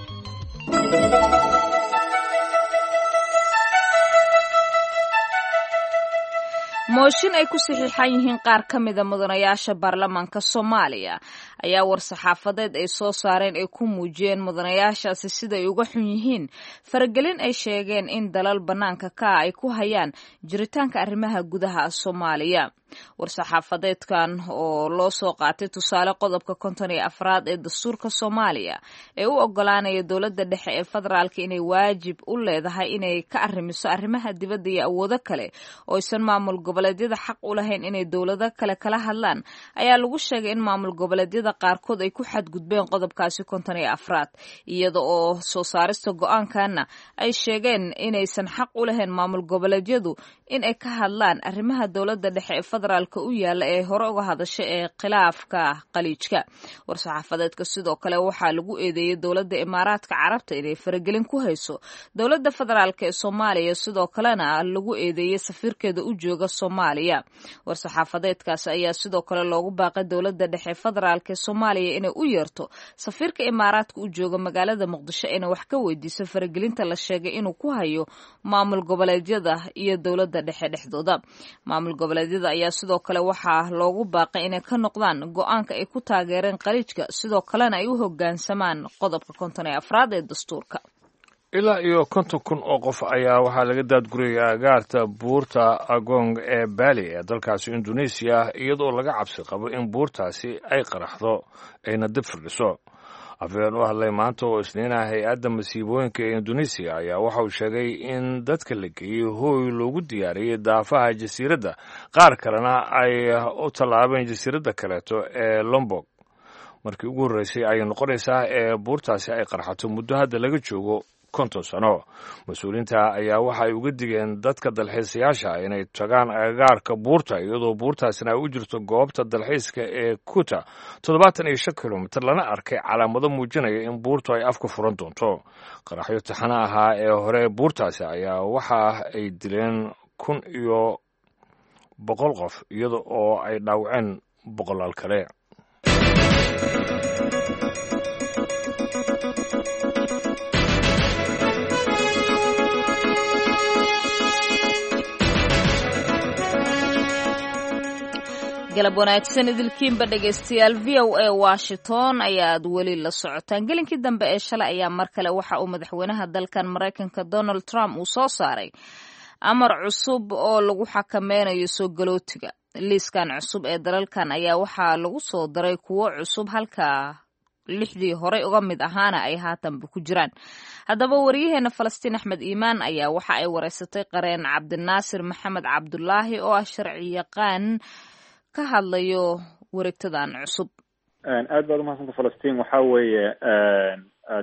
Mooshin ay ku saxiixan yihiin qaar ka mida mudanayaasha baarlamaanka Soomaaliya ayaa war-saxaafadeed ay soo saareen ay ku muujiyeen mudanayaashaasi siday uga xun yihiin faragelin ay sheegeen in dalal bannaanka ka ah ay ku hayaan jiritaanka arrimaha gudaha Soomaaliya. War-saxaafadeedkan oo loo soo qaatay tusaale qodobka 54aad ee dastuurka Soomaaliya ee u ogolaanaya dowladda dhexe ee federaalka inay waajib u leedahay inay ka arrimiso arrimaha dibadda iyo awoodo kale oo aysan maamul goboleedyada xaq u lahayn inay dowlado kale kala hadlaan, ayaa lagu sheegay in maamul goboleedyada qaarkood ay ku xadgudbeen qodobkaasi 54aad, iyada oo soo saarista go-aankana ay sheegeen inaysan xaq u lahayn maamul goboleedyadu in ay ka hadlaan arrimaha dowladda dhexe ee federaalka u yaala ee hore uga hadashay ee khilaafka Qaliijka. War-saxaafadeedka sidoo kale waxaa lagu eedeeyey dowladda Imaaraadka Carabta inay faragelin ku hayso dowladda federaalk ee Soomaaliya, sidoo kalena lagu eedeeyey safiirkeeda u jooga Soomaaliya. War-saxaafadeedkaas ayaa sidoo kale loogu baaqay dowladda dhexe federaalk ee Soomaaliya inay u yeerto safiirka Imaaraadka u jooga magaalada Muqdisho inay wax ka weydiiso faragelinta la sheegay inuu ku hayo maamul goboleedyada iyo dowladda dhexe dhexdooda. Maamul goboleedyada ayaa sidoo kale waxaa loogu baaqay inay ka noqdaan go-aanka ay ku taageereen Qaliijka, sidoo kalena ay u hoggaansamaan qodobka 54aad ee dastuurka. Ilaa iyo 50,000 oo qof ayaa waxaa laga daadgurayay agaarta buurta Agong ee Bali ee dalkaasi Indonesiya, iyadoo laga cabsi qabo in buurtaasi ay qaraxdo ayna dib firdhiso. Afhayeen u hadlay maanta oo Isniinaha hay-adda masiibooyinka ee Indonesiya ayaa waxa uu sheegay in dadka la geeyey hooy loogu diyaariyey daafaha jasiiradda, qaar kalena ay u tallaabeen jasiiradda kaleeto ee Lombok. Markii ugu horreysay ayay noqonaysaa ee buurtaasi ay qarxato muddo hadda laga joogo 50 sano. Mas-uuliyiinta ayaa waxa ay uga digeen dadka dalxiisayaasha inay tagaan agagaarka buurta, iyadoo buurtaasina ay u jirto goobta dalxiiska ee Kuta 75 kilomitir, lana arkay calaamado muujinaya in buurtu ay afka furan doonto. Qaraxyo taxana ahaa ee hore buurtaasi ayaa waxa ay dileen 1100 qof, iyada oo ay dhaawaceen boqolaal kale. Galab wanaagsan idilkiinba dhegaystayaal, VOA Washington ayaad weli la socotaan. Gelinkii dambe ee shalay ayaa mar kale waxa uu madaxweynaha dalkan Maraykanka Donald Trump uu soo saaray amar cusub oo lagu xakameynayo soo galootiga. Liiskan cusub ee dalalkan ayaa waxaa lagu soo daray kuwo cusub, halka lixdii horey uga mid ahaana ay haatanba ku jiraan. Haddaba wariyaheena Falastiin Axmed Iimaan ayaa waxa ay wareysatay qareen Cabdinaasir Maxamed Cabdulaahi oo ah sharci yaqaan ka hadlayo wareegtadan cusub. Aad baad umahadsanta Falastiin. Waxaa weeye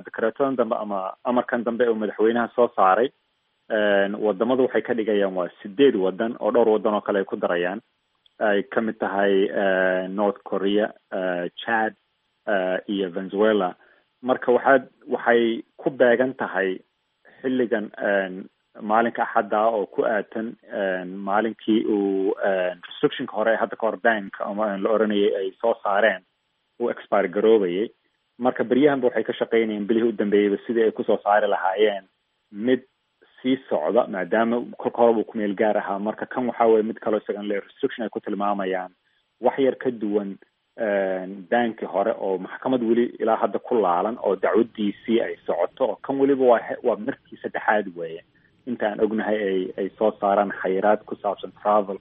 dekreetadan dambe ama amarkan dambe uu madaxweynaha soo saaray, wadamadu waxay ka dhigayaan waa sideed wadan oo dhowr wadan oo kale ay ku darayaan, ay kamid tahay North Korea, Chad iyo Venezuela. Marka waxay ku beegan tahay xilligan maalinka Axadda oo ku aadsan maalinkii uu restrictionka hore ee hadda kahor bank ama la oranayay ay soo saareen uu expire garoobayay. Marka beryahanba waxay ka shaqaynayeen bilihii u dambeeyeyba sidii ay kusoo saari lahaayeen mid sii socda, maadaama kolka horeba uu kumeel gaar ahaa. Marka kan waxaa weye mid kaloo isagan le restriction ay ku tilmaamayaan wax yar ka duwan banki hore oo maxkamad weli ilaa hadda ku laalan oo dacwadiisii ay socoto, oo kan weliba waa markii saddexaad weeye inta aan ognahay ay soo saaraan xayiraad ku saabsan travel,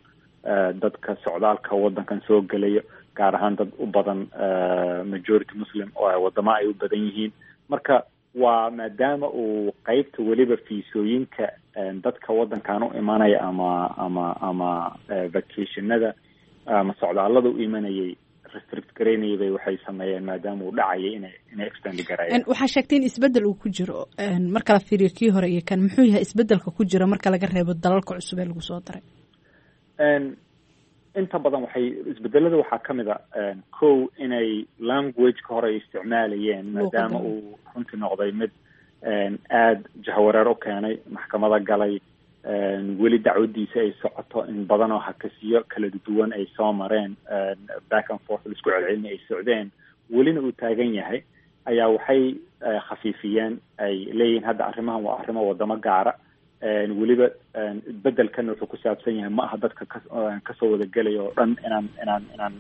dadka socdaalka waddankan soo gelayo, gaar ahaan dad u badan majority Muslim oo wadamo ay u badan yihiin. Marka waa maadaama uu qeybta weliba fiisooyinka dadka waddankan u imanaya ama vacationada ama socdaallada u imanayay Restrict garaynayay bay waxay sameeyeen maadaama uu dhacayay inay extend gareeyaan. Waxaa sheegtay in isbeddel uu ku jiro marka la fiiriyo kii hore iyo kan. Muxuu yahay isbeddelka ku jira marka laga reebo dalalka cusub ee lagu soo daray? Inta badan waxay isbedelada waxaa ka mid a, kow, inay language-ka hore ay isticmaalayeen, maadaama uu runtii noqday mid aada jahwareer u keenay, maxkamada galay, weli dacwadiisa ay socoto, in badan oo hakasiyo kala duwan ay soo mareen, back and forth laisku celcelina ay socdeen, welina uu taagan yahay, ayaa waxay khafiifiyeen, ay leeyihiin hadda arrimahan waa arrimo wadamo gaara. Weliba bedelkan wuxuu ku saabsan yahay, ma aha dadka kasoo wada gelaya oo dhan inaan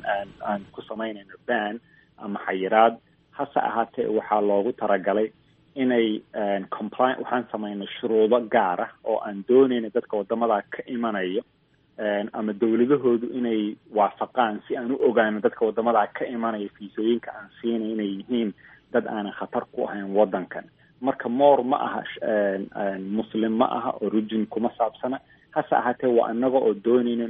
aan ku samaynayno ban ama xayiraad. Hase ahaatee waxaa loogu talagalay inay comply, waxaan samaynay shuruudo gaar ah oo aan doonayna dadka wadamadaa ka imanayo ama dowladahoodu inay waafaqaan, si aan u ogaano dadka wadamadaa ka imanaya fiisooyinka aan siinay inay yihiin dad aanan khatar ku ahayn waddankan. Marka more ma aha Muslim, ma aha origin kuma saabsana, hase ahaatee waa inaga oo doonayno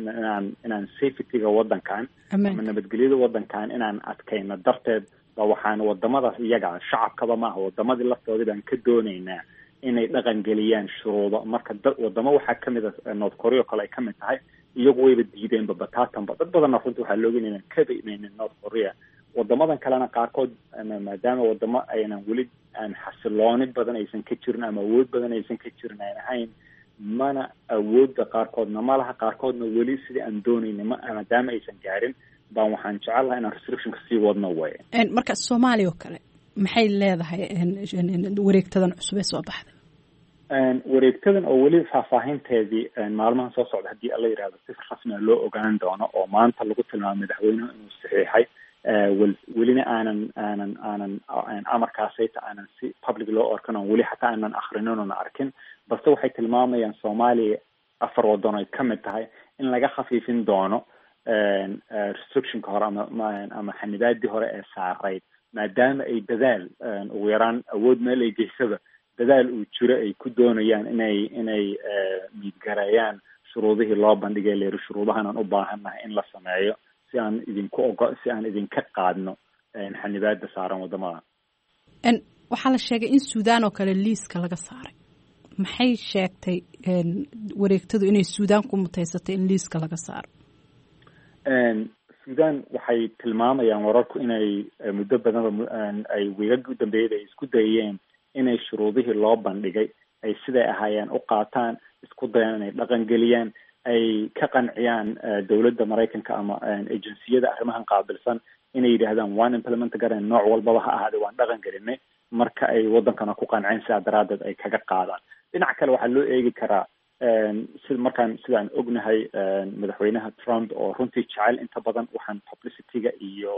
inaan safety-ga waddankan ama nabadgelyada waddankan inaan adkayno darteed ba waxaan wadamadaas iyaga, shacabkaba maaha, wadamadii laftoodii baan ka doonaynaa inay dhaqan geliyaan shuruudo. Marka dad wadamo waxaa kamid a North Korea oo kale ay kamid tahay, iyagu wayba diideenba bataatanba. Dad badanna runtii waxaa looga inaynan kaba imaynin North Korea. Wadamadan kalena qaarkood, maadaama wadamo aynan weli aan xasilooni badan aysan ka jirin ama awood badan aysan ka jirin aan ahayn, mana awoodda qaarkoodna ma laha, qaarkoodna weli sidii aan doonayna ma maadaama aysan gaarin baan waxaan jecel lahaa inaan restrictionka sii wadno way. Marka Soomaaliya oo kale maxay leedahay wareegtadan cusub ee soo baxday? Wareegtadan oo weli faahfaahinteedii maalmahan soo socda haddii alla yidhahdo si rasmiga loo ogaan doono, oo maanta lagu tilmaamay madaxweynuhu inuu saxiixay, welina aanan amarkaasayta aanan si public loo arkin, oon weli xataa aanan akrinin oona arkin, balse waxay tilmaamayaan Soomaaliya afar waddan ay ka mid tahay in laga khafiifin doono restrictionka hore ama xanibaadii hore ee saarayd, maadaama ay dadaal ugu yaraan awood meel ay geysaba dadaal uu jiro ay ku doonayaan inay miidgareeyaan shuruudihii loo bandhigay, leeri shuruudahan aan u baahannahay in la sameeyo si aan idinku ogo si aan idinka qaadno xanibaada saaran waddamada. Waxaa la sheegay in Suudaan oo kale liiska laga saaray. Maxay sheegtay wareegtadu inay Suudaan ku muteysatay in liiska laga saaro? Suudaan waxay tilmaamayaan wararku inay muddo badanba ay wiigagii u dambeeyay ay isku dayeen inay shuruudihii loo bandhigay ay siday ahaayeen u qaataan, isku dayaan inay dhaqangeliyaan, ay ka qanciyaan dowladda Maraykanka ama agenciyada arrimahan qaabilsan inay yidhaahdaan waan implement garayn, nooc walbaba ha ahaade waan dhaqan gelinay. Marka ay waddankana ku qanceen, sidaa daraaddeed ay kaga qaadaan. Dhinac kale waxaa loo eegi karaa si markaan sidaan ognahay madaxweynaha Trump oo runtii jecel inta badan waxaan publicity-ga iyo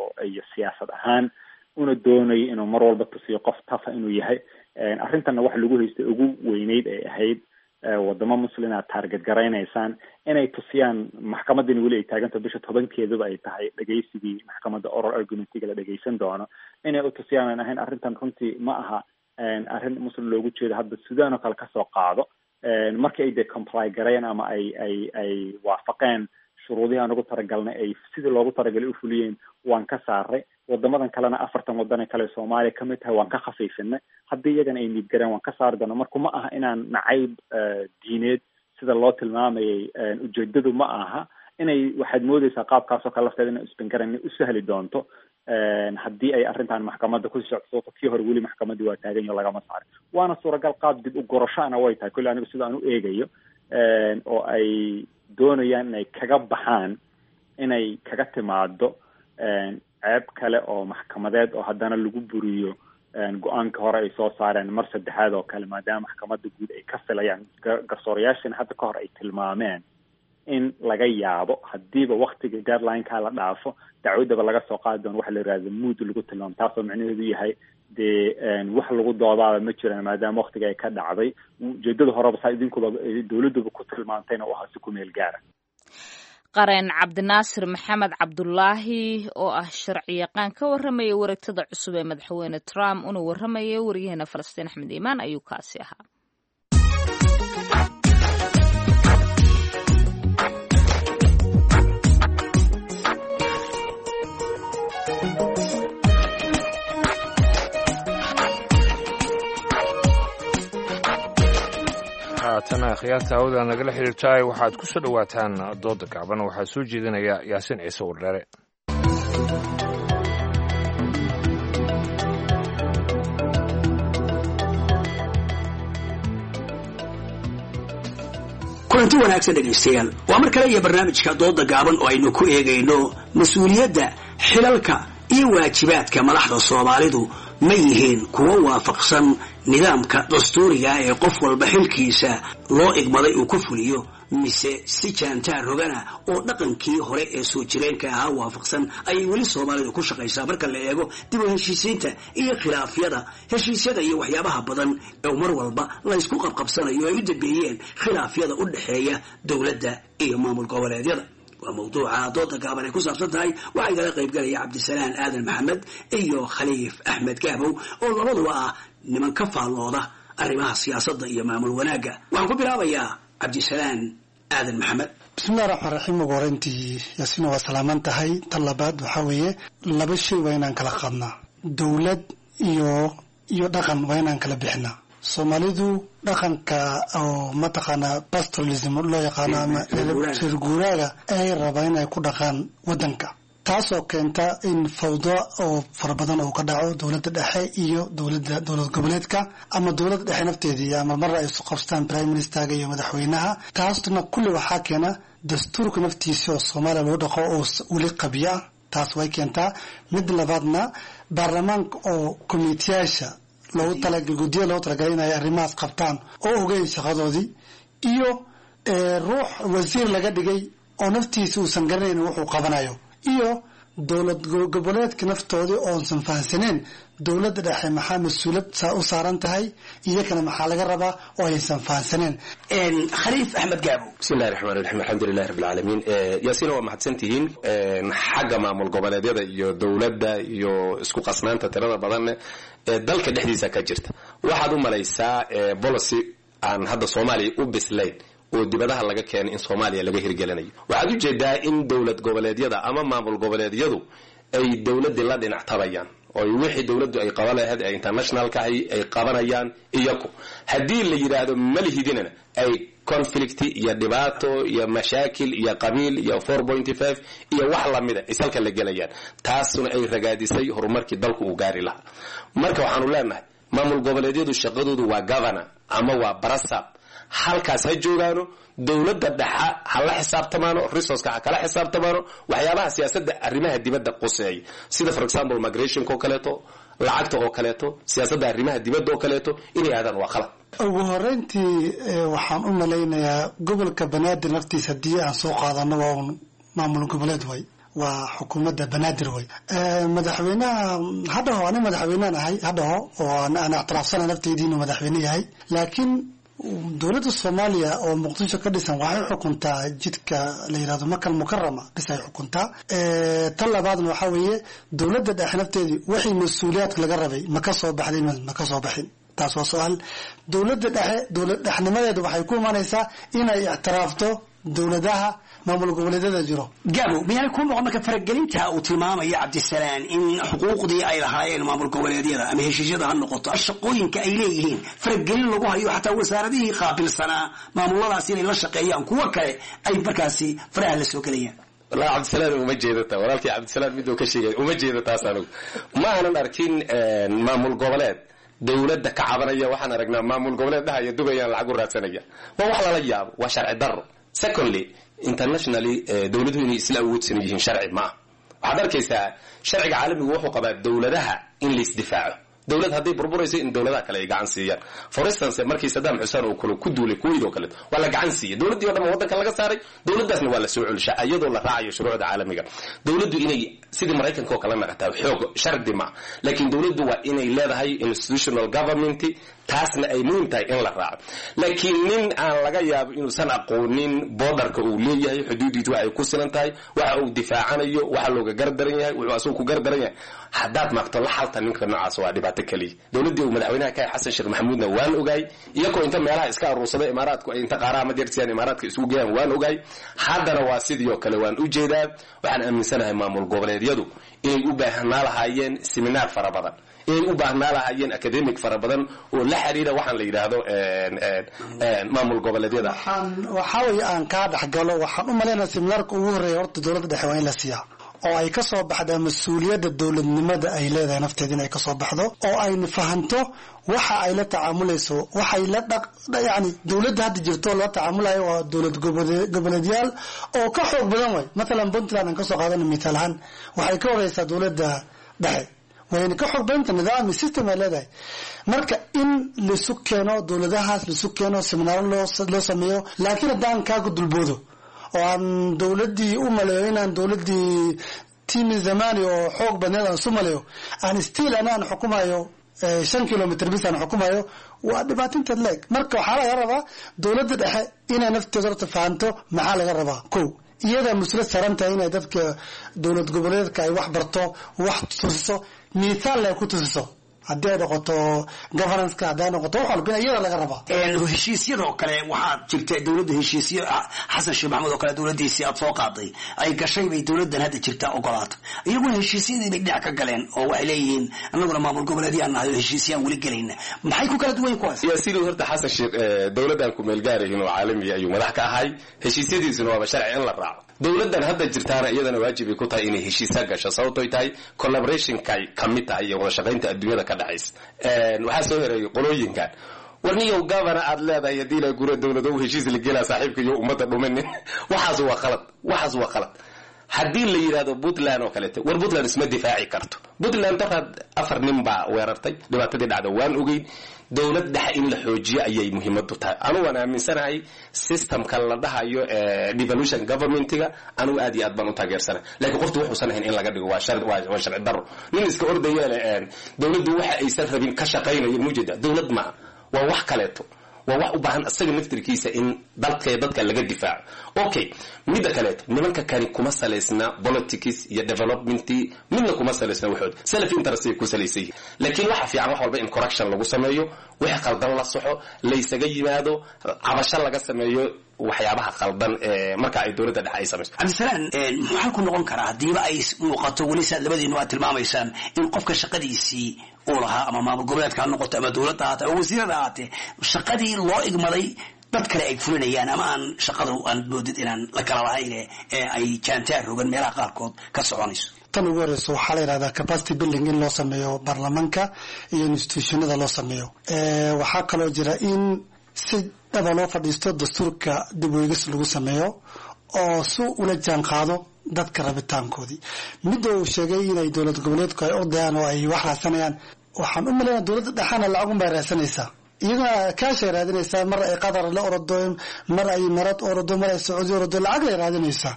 siyaasad ahaan una doonayay inuu mar walba tusiyo qof tafa inuu yahay. Arrintanna waxa lagu haystay ugu weyneyd ay ahayd wadamo Muslim aad target garaynaysaan, inay tusiyaan maxkamadani weli ay taagantaho, bisha 10-keeduba ay tahay dhegeysigii maxkamadda oral argumentiga la dhegeysan doono, inay u tusiyaan aan ahayn arrintan runtii ma aha arrin Muslim loogu jeedo. Hadda Sudan oo kale kasoo qaado, markii ay dee comply gareeyeen ama ay waafaqeen shuruudihii aan ugu talagalnay, ay sidii loogu talagalay u fuliyeen, waan ka saaray. Wadamadan kalena, 40 wadan ee kale Soomaaliya kamid tahay, waan ka khafiifinay. Haddii iyagana ay miidgareen, waan ka saari doona. Marka ma aha inaan nacayb diineed sida loo tilmaamayay ujeedadu ma aha. Inay waxaad moodeysaa qaabkaasoo kale lafteeda inay isbingaran inay u sahli doonto haddii ay arrintan maxkamadda kusii socto, sababto kii hore weli maxkamaddii waa taagan yaho, lagama saarin. Waana suuragal qaab dib u gorashaana way tahay kulli, anigu sida aan u eegayo, oo ay doonayaan inay kaga baxaan inay kaga timaado ceeb kale oo maxkamadeed oo haddana lagu buriyo go-aanka hore ay soo saareen mar saddexaad oo kale, maadaama maxkamadda guud ay ka filayaan, garsoorayaashina hadda ka hor ay tilmaameen in laga yaabo haddiiba waktiga deadline-ka la dhaafo dacwaddaba laga soo qaadi doono waxa la yihahdo mood lagu tilmaamo, taasoo micnaheedu yahay dee wax lagu doodaaba ma jiraan maadaama waktiga ay ka dhacday. Ujeedada horeba saa idinkuba dowladduba ku tilmaantayna u ahaa si ku meel gaara. Qareen Cabdinaasir Maxamed Cabdulaahi oo ah sharci yaqaan ka warramaya wareegtada cusub ee madaxweyne Trump una warramaya waryaheena Falastiin Axmed Iimaan ayuu kaasi ahaa. Haatana khiyaarta hawada nagala xiriirtaay, waxaad ku soo dhowaataan dooda gaaban. Waxaa soo jeedinaya Yaasiin Ciise Wardheere. Kulanti wanaagsan dhegaystayaal, waa mar kale iyo barnaamijka dooda gaaban oo aynu ku eegayno mas-uuliyadda, xilalka iyo waajibaadka madaxda Soomaalidu ma yihiin kuwo waafaqsan nidaamka dastuuriga ee qof walba xilkiisa loo igmaday uu ku fuliyo, mise si jaantaar rogana oo dhaqankii hore ee soo jireenka ahaa waafaqsan ayay weli Soomaalidu ku shaqaysaa marka la eego dib u heshiisiinta iyo khilaafyada, heshiisyada iyo waxyaabaha badan ee mar walba laysku qabqabsanayo ay u dambeeyeen khilaafyada u dhexeeya dowladda iyo maamul goboleedyada? Waa mawduuca dooda gaaban ay ku saabsan tahay. Waxaa igala qaybgalaya Cabdisalaan Aadan Maxamed iyo Khaliif Axmed Gaabow oo labaduba ah niman ka faallooda arrimaha siyaasadda iyo maamul wanaagga. Waxaan ku bilaabayaa Cabdisalaan Aadan Maxamed. Bismillahi raxmaan raxiim. Ugu horeyntii, Yaasiina, waa salaaman tahay. Tan labaad waxaa weeye, laba shay waa inaan kala qaadnaa: dowlad iyo dhaqan waa inaan kala bixinaa. Soomaalidu dhaqanka oo mataqaanaa pastoralism loo yaqaano ama reer guuraaga ay rabaan inay ku dhaqaan wadanka, taasoo keenta in fawdo oo fara badan oo ka dhaco dowladda dhexe iyo dowladda dowlad goboleedka ama dowladda dhexe nafteedii, ama marna ay isu qabstaan prime ministerga iyo madaxweynaha. Taasna kulli waxaa keena dastuurka naftiisa oo Soomaaliya lagu dhaqo oo weli qabya ah. Taas way keentaa. Mid labaadna, baarlamaanka oo komiteyaasha loogu talagal, guddiya loogu talagalay inay arrimahaas qabtaan oo ogeyn shaqadoodii, iyo ruux wasiir laga dhigay oo naftiisa uusan garanayn wuxuu qabanayo, iyo dowlad goboleedka naftoodii oonsan fahansaneen dowladda dhexe maxaa mas-uulad u saaran tahay, iyakana maxaa laga rabaa oo aysan fahansaneen. Khaliif Axmed Gaabo. Bismillahi raxmaan raxiim, alxamdulilahi rabbi alcaalamiin. Yaasiina, waa mahadsantihiin. Xagga maamul goboleedyada iyo dowladda iyo isku qasnaanta tirada badanne ee dalka dhexdiisa ka jirta, waxaad u malaysaa policy aan hadda Soomaaliya u bislayn oo dibadaha laga keenay in Soomaaliya laga hirgelinayo. Waxaad u jeedaa in dowlad goboleedyada ama maamul goboleedyadu ay dowladdii la dhinac tabayaan oo wixii dowladdu ay qaban lahayd ee internationalka ay qabanayaan iyaku. Haddii la yidhaahdo malihidinana, ay conflict iyo dhibaato iyo mashaakil iyo qabiil iyo 4.5 iyo wax lamida isalka la gelayaan, taasuna ay ragaadisay horumarkii dalku uu gaari lahaa. Marka waxaanu leenahay, maamul goboleedyadu shaqadoodu waa governor ama waa barasab, halkaas ha joogaano. Dowladda dhexa ha la xisaabtamaano, resourceka ha kala xisaabtamaano, waxyaabaha siyaasadda arrimaha dibadda quseeya, sida for example migrationka oo kaleeto, lacagta oo kaleeto, siyaasadda arrimaha dibadda oo kaleeto inay aadaan waa qalad. Ugu horeyntii, waxaan u malaynayaa gobolka Banaadir naftiisa haddii aan soo qaadano, waa un maamul goboleed way, waa xukuumadda Banaadir way. Madaxweynaha ha dhaho ani madaxweynean ahay ha dhaho, oo aan ictiraafsana nafteydii inuu madaxweyne yahay, laakiin dowladda Soomaaliya oo Muqdisho ka dhisan waxay xukuntaa jidka la yidhahdo Makal Mukarama bis ay xukuntaa. Tan labaadna waxaa weeye, dowladda dhexe nafteedii wixii mas-uuliyaadka laga rabay ma ka soo baxday? Ma ka soo baxin? Taas waa su-aal. Dowladda dhexe dowlad dhexnimadeedu waxay ku imanaysaa inay ictiraafto dowladaha maamul goboleedyada jiro. Gaabo, miyaanay kuu noqon marka faragelinta uu tilmaamaya Cabdisalaan in xuquuqdii ay lahaayeen maamul goboleedyada, ama heshiisyada ha noqoto, shaqooyinka ay leeyihiin, faragelin lagu hayo, xataa wasaaradihii qaabilsanaa maamuladaas inay la shaqeeyaan kuwo kale ay markaasi faraha la soo gelayaan? Wallahi Cabdisalaan uma jeedata, walaalkii Cabdisalaan miduu ka sheegay uma jeeda taas. Anigu ma aanan arkin maamul goboleed dowladda ka cabanaya. Waxaan aragnaa maamul goboleed dhahaya Dubayaan lacag u raadsanaya. Waa wax lala yaabo, waa sharci darro. Secondly, internationally dowladuhu inay isla awoodsan yihiin sharci ma ah. Waxaad arkaysaa sharciga caalamigu wuxuu qabaa dowladaha in la isdifaaco, dowlad hadday burburayso in dowladaha kale ay gacan siiyaan. For instance, markii Saddam Xuseen uu kale ku duulay Kuwait oo kaleeto, waa la gacan siiyey, dowladdii o dhan waddanka laga saaray, dowladdaasna waa la soo celishaa iyadoo la raacayo shuruucda caalamiga. Dowladdu inay sidii Maraykanka oo kale naqataa xoog shardi ma, laakiin dowladdu waa inay leedahay institutional government, taasna ay muhiim tahay in la raaco. Laakiin nin aan laga yaabo inuusan aqoonin borderka uu leeyahay, xuduudiisu waxa ay ku silan tahay, waxa uu difaacanayo, waxa looga gardaran yahay, wuxuu asagu ku gardaran yahay, haddaad maagto la xalta ninka noocaas waa dhibaato keliya. Dowladdii uu madaxweynaha ka yahay Xasan Sheekh Maxamuudna waan ogaay iyagoo inta meelaha iska aruursaday Imaaraadku ay inta qaaraha madeersiyaan Imaaraadka isugu geeyaan, waan ogaay. Haddana waa sidii oo kale waan u jeedaa. Waxaan aaminsanahay maamul goboleedyadu inay u baahnaa lahaayeen seminaar fara badan, Inay u baahnaa lahaayeen academic fara badan oo la xiriira waxaan la yidhaahdo maamul goboleedyada. Waxaa weeye aan kaa dhexgalo, waxaan u malaynaya seminaarka ugu horreeya horta dowladda dhexe waa in la siiyaa oo ay ka soo baxdaa mas-uuliyadda dowladnimada ay leedahay nafteeda inay kasoo baxdo oo ayna fahanto waxa ay la tacaamulayso, waxay la dhaq, yani dowladda hadda jirto la tacaamulayo waa dowlad goboleedyaal oo ka xoog badan way. Mathalan Puntland aan kasoo qaadana mithaal ahaan, waxay ka horeysaa dowladda dhexe, wayna ka xoog badanta, nidaam iyo system ay leedahay. Marka in laisu keeno dowladahaas, laisu keeno seminaaro loo sameeyo. Laakiin haddaan kaaga dulboodo oo aan dowladdii u maleeyo inaan dowladdii timi zamani oo xoog badneed aan isu maleeyo, aan still ana aan xukumayo 5 kilomitr bis aan xukumayo, waa dhibaatinteed leeg. Marka waxaa laga rabaa dowladda dhexe inay nafteeda horta fahanto maxaa laga rabaa. Ko iyadaa mas-uuliyad saaran tahay inay dadka dowlad goboleedka ay wax barto, wax tusiso, mithaal ay ku tusiso, haddii ay noqoto governance-ka, haddii ay noqoto wax walba, iyada laga rabaa. Heshiisyadoo kale waxaad jirta dowladda heshiisyo Xasan Sheekh Maxamuud oo kale dowladdiisii aad soo qaaday ay gashay bay dowladdan hadda jirta ogolaata. Iyaguna heshiisyadii bay dhinac ka galeen oo waxay leeyihiin annaguna maamul goboleedyaan nahay oo heshiisyaan weli gelayna. Maxay ku kala duwan yihiin kuwaas? Yaasiin, horta Xasan Sheekh dowladdan ku meelgaarahin oo caalamiya ayuu madax ka ahay, heshiisyadiisuna waaba sharci in la raaco. Dowladdan hadda jirtaana iyadana waajib ay ku tahay inay heshiisa gasho, sababtoy tahay collaborationkay ka mid tahay iyo wada shaqaynta adduunyada ka dhexaysa. Waxaa soo hereeyay qolooyinkan warniyow gavana aad leedahay haddii la gura dowlado heshiis la gelaa saaxiibka iyo ummadda dhuminin. Waxaas waa qalad, waxaas waa qalad. Haddii la yidhahdo Puntland oo kaleeto, war Puntland isma difaaci karto. Puntland daraad afar nin baa weerartay, dhibaatadii dhacda waan ogeyn. Dowlad dhexe in la xoojiyo ayay muhiimadu tahay. Anugu waan aaminsanahay systemka la dhahayo devolution governmentiga, anugu aad iyo aad baan u taageersanahay, laakiin qoftu wuxuusan ahayn in laga dhigo waa sharci daro. Nin iska ordaya leh dowladdu waxa aysan rabin ka shaqaynayo mujeda dowlad maaha, waa wax kaleeto, waa wax u baahan isaga naftirkiisa in dalka dadka laga difaaco. Okay, midda kaleeto, nimanka kani kuma salaysna politics iyo development, midna kuma salaysna, waxood self interest ay ku salaysan yihiin. Laakiin waxa fiican wax walba in correction lagu sameeyo, wixii qaldan la soxo, laysaga yimaado, cabasho laga sameeyo waxyaabaha qaldan ee marka ay dowladda dhexe ay samayso. Cabdisalaan, muxuu xalku noqon karaa haddiiba ay muuqato weli saad labadiinu aad tilmaamaysaan in qofka shaqadiisii uu lahaa, ama maamul goboleedka ha noqoto ama dowladda ahaate ama wasiirada ahaatee, shaqadii loo igmaday dad kale ay fulinayaan, ama aan shaqadu aan moodid inaan la kala lahayn ee ay jaantaar rogan meelaha qaarkood ka soconayso? Tan ugu horeyso waxaa la yidhahdaa capacity building in loo sameeyo baarlamaanka iyo institutionada loo sameeyo. Waxaa kaloo jira in si dhaba loo fadhiisto, dastuurka dib u eegis lagu sameeyo oo si ula jaan qaado dadka rabitaankoodii. Midda uu sheegay inay dowlad goboleedku ay ordayaan oo ay wax raadsanayaan, waxaan u malaynaya dowladda dhexana lacagun bay raadsanaysaa, iyaduna kaashay raadinaysaa. Mar ay Qatar la orado, mar ay Marad orado, mar ay Sacuudi orado, lacag lay raadinaysaa.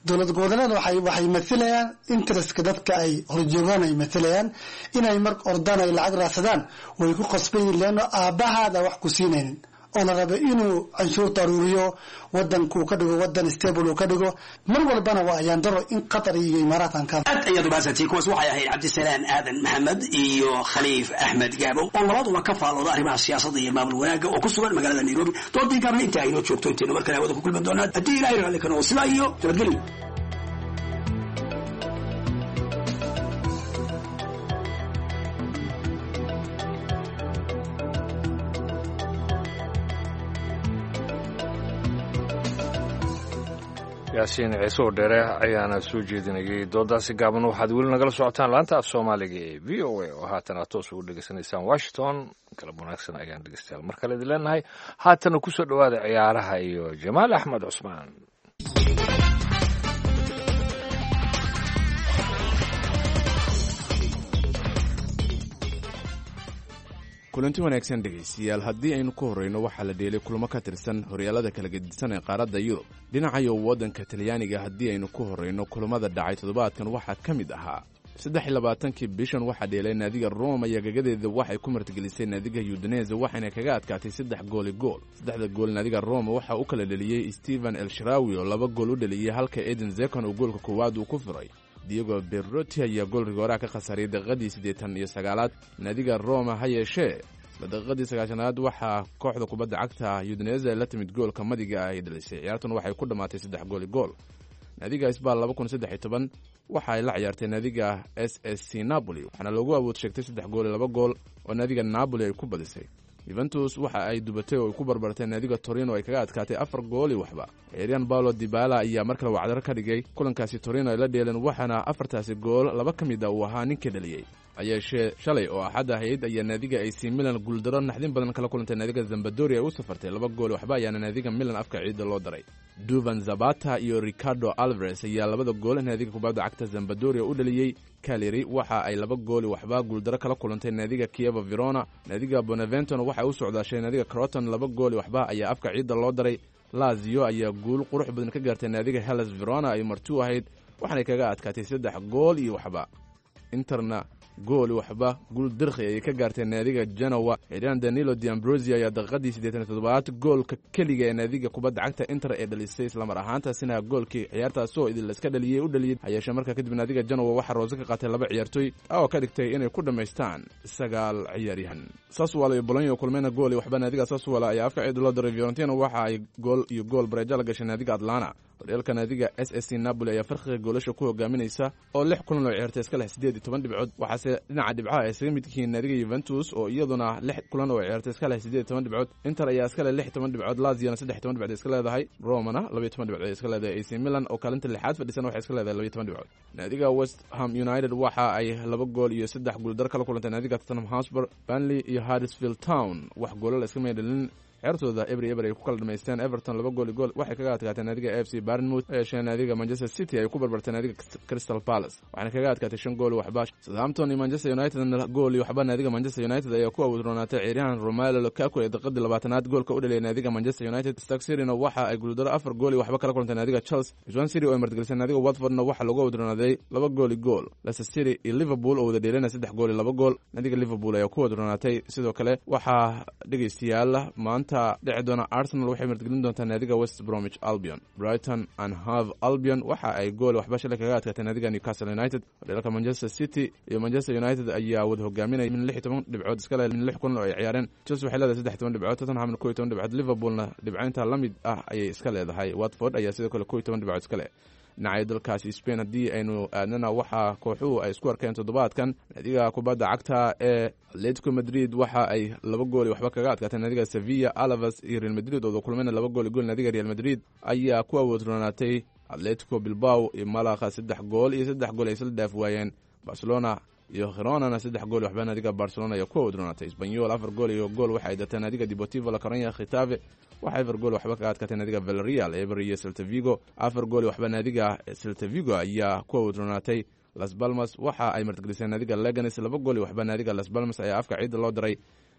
Dowlad goboleed waxay mathilayaan interestka dadka ay horjoogaan ay mathilayaan. Inay mar ordaan ay lacag raadsadaan way ku qasban yihin, leanno aabbahaada wax ku siinaynin oo la raba inuu canshuurta aruuriyo, wadanku ka dhigo wadan stable uu ka dhigo. Mar walbana waa ayaan daro in Qatar iyo Imaaraat aan ka Aad ayaad umahadsantihiin. Kuwaas waxay ahayd Cabdisalaan Aadan Maxamed iyo Khaliif Axmed Gaabow oo labaduba ka faallooda arrimaha siyaasadda iyo maamul wanaagga oo ku sugan magaalada Nairobi. Doodii gaabna intaa aynoo joogto, intaynu mar kale hawada ku kulmi doonaa haddii Ilahay raalli ka noqo, sidaa iyo nabadgelyo. Yaasiin Ciise oo dheere ayaana soo jeedinayay doodaasi gaaban. Waxaad weli nagala socotaan laanta af Soomaaliga ee VOA oo haatan aad toos ugu dhegeysanaysaan Washington. Galab wanaagsan ayaan dhegeystayaal mar kale idin leenahay. Haatana kusoo dhowaada ciyaaraha iyo Jamaal Axmed Cusmaan. Kulanti wanaagsan dhegaystayaal, haddii aynu ku horrayno, waxaa la dheelay kulamo ka tirsan horyaalada kala gedisan ee qaaradda Yurub. Dhinacayo waddanka Talyaaniga haddii aynu ku horrayno, kulamada dhacay toddobaadkan waxaa ka mid ahaa 23-kii bishan waxaa dheelay naadiga Roma iyo gagadeeda waxay ku martigelisay naadiga Udinese, waxayna kaga adkaatay saddex gooli gool. Saddexda gool naadiga Roma waxaa u kala dheliyey Stephen Elshrawi oo laba gool u dheliyey, halka Eden Zekon uu goolka koowaad uu ku furay. Diego Beroti ayaa gool rigooraha ka khasaariyay daqiiqadii 89-aad naadiga Roma. Ha yeeshee isla daqiiqadii 90-aad waxaa kooxda kubadda cagta Udinese la timid goolka madiga ah ay dhalisay. Ciyaartuna waxay ku dhammaatay saddex gooli gool. Naadiga Sbal 2013 waxa ay la ciyaartay naadiga SSC Napoli, waxaana loogu awood sheegtay 3 gool iyo 2 gool oo naadiga Napoli ay ku badisay. Yuventus waxa ay dubatay oo ay ku barbartay naadiga Torino, ay kaga adkaatay 4 gool iyo waxba. Ciyaaryahan Paulo Dibala ayaa mar kale wacdaro ka dhigay kulankaasi Torino ay la dheeleen, waxaana afartaasi gool laba ka mid a uu ahaa ninka dhaliyey. Hayeeshee shalay oo Axad ahayd ayaa naadiga AC Milan guuldaro naxdin badan kala kulantay naadiga Zambadoria ay u safartay. 2 gool waxba ayaana naadiga Milan afka ciidda loo daray. Duvan Zabata iyo Ricardo Alvarez ayaa labada gool naadiga kubadda cagta Zambadoria u dhaliyey. Caleri waxa ay 2 gool waxba guuldaro kala kulantay naadiga Kieva Verona. Naadiga Bonaventon waxay u socdaashay naadiga Croton, 2 gool waxba ayaa afka ciidda loo daray. Lazio ayaa guul qurux badan ka gaartay naadiga Hellas Verona ay marti u ahayd, waxaanay kaga adkaatay 3 gool iyo waxba. Interna gool waxba guul dirkhi ayay ka gaartay naadiga Genoa. Ciiraan Danilo Diambrosi ayaa daqiiqadii 87aad goolka keliga ee naadiga kubadda cagta Inter ee dhalisay, islamar ahaantaasina goolkii ciyaartaasoo idin laiska dhaliyey u dhaliyey. Hayeeshee markaa kadib naadiga Genoa waxaa roose ka qaatay laba ciyaartooy oo ka dhigtay inay ku dhammaystaan 9 ciyaaryahan. Sassuolo iyo Bologna kulmayna gool iyo waxba naadiga Sassuolo ayaa afka ciid loo daray. Fiorentina waxa ay gool iyo gool bareejo la gashay naadiga Atlanta. Horyaalka naadiga SSC Napoli ayaa farqiga goolasha ku hogaaminaysa oo lix kulan oo ciyaartay iska leh 18 dhibcood, waxaase dhinaca dhibcaha ay isaga mid yihiin naadiga Yuventus oo iyaduna lix kulan oo ciyaartay iska leh 18 dhibcood. Inter ayaa iska leh 16 dhibcood, Laziona 13 dhibcood iska leedahay, Romana 12 dhibcood ay iska leedahay. AC Milan oo kaalinta lixaad fadhisan waxay iska leedahay 12 dhibcood. Naadiga West Ham United waxa ay 2 gool iyo 3 guuldar kala kulantay naadiga Tottenham Hotspur. Burnley iyo Huddersfield Town wax goolal iska meedhalin, ciyaartooda 0-0 ay ku kala dhamaysteen. Everton 2 gool iyo gool waxay kaga adkaatay naadiga FC Bournemouth. Yeeshee naadiga Manchester City ay ku barbartay naadiga Crystal Palace, waxaana kaga adkaatay 5 gool waxba. Southampton iyo Manchester United gool iyo waxba naadiga Manchester United ayaa ku awoodroonaatay. Ciyaaryahan Romelu Lukaku ee daqiiqadii 20aad goolka u dhaliyay naadiga Manchester United. Stoke City-na waxa ay guuldaro 4 gool iyo waxba kala kulantay naadiga Chelsea. Swansea City oo ay martigelisay naadiga Watfordna waxaa lagu awoodroonaaday 2 gool iyo gool. Leicester City iyo Liverpool oo wada dheelana 3 gool iyo 2 gool naadiga Liverpool ayaa ku awoodroonaatay. Sidoo kale waxaa, dhegeystayaal, maanta dhici doona Arsenal waxay martigelin doontaa naadiga West Bromwich Albion. Brighton and Hove Albion waxa ay gool waxba shalay kaga adkaatay naadiga Newcastle United. Horyaalka Manchester City iyo Manchester United ayaa wada hogaaminaya min 16 dhibcood iska leh min lix kulan oo ay ciyaareen. Chelsea waxay leedahay 13 dhibcood, Tottenhamna 11 dhibcood, Liverpoolna dhibcaynta la mid ah ayay iska leedahay. Watford ayaa sidoo kale 11 dhibcood iska leh. Dhinacyo dalkaasi Spain haddii aynu aadnana, waxaa kooxuhu ay isku arkeen toddobaadkan naadiga kubadda cagta ee Atletico Madrid waxa ay 2 gool iyo waxba kaga adkaatay naadiga Sevilla. Alaves iyo Real Madrid ooda kulmayna 2 gool iyo gool naadiga Real Madrid ayaa ku awoodroonaatay. Atletico Bilbao iyo Malaqa 3 gool iyo 3 gool ay isla dhaaf waayeen. Barcelona iyo Gironana 3 gool waxba naadiga Barcelona ayaa ku awoodroonaatay. Espanyol 4 gool iyo gool waxa ay datay naadiga Deportivo La Coruña. Getafe waxay 4 gool waxba kaga adkaatay naadiga Villarreal. 0 iyo Celta Vigo 4 gool waxba naadiga Celta Vigo ayaa ku awoodroonaatay. Las Palmas waxa ay martigelisay naadiga Leganes, 2 gool iyo waxba naadiga Las Palmas ayaa afka ciidda loo daray.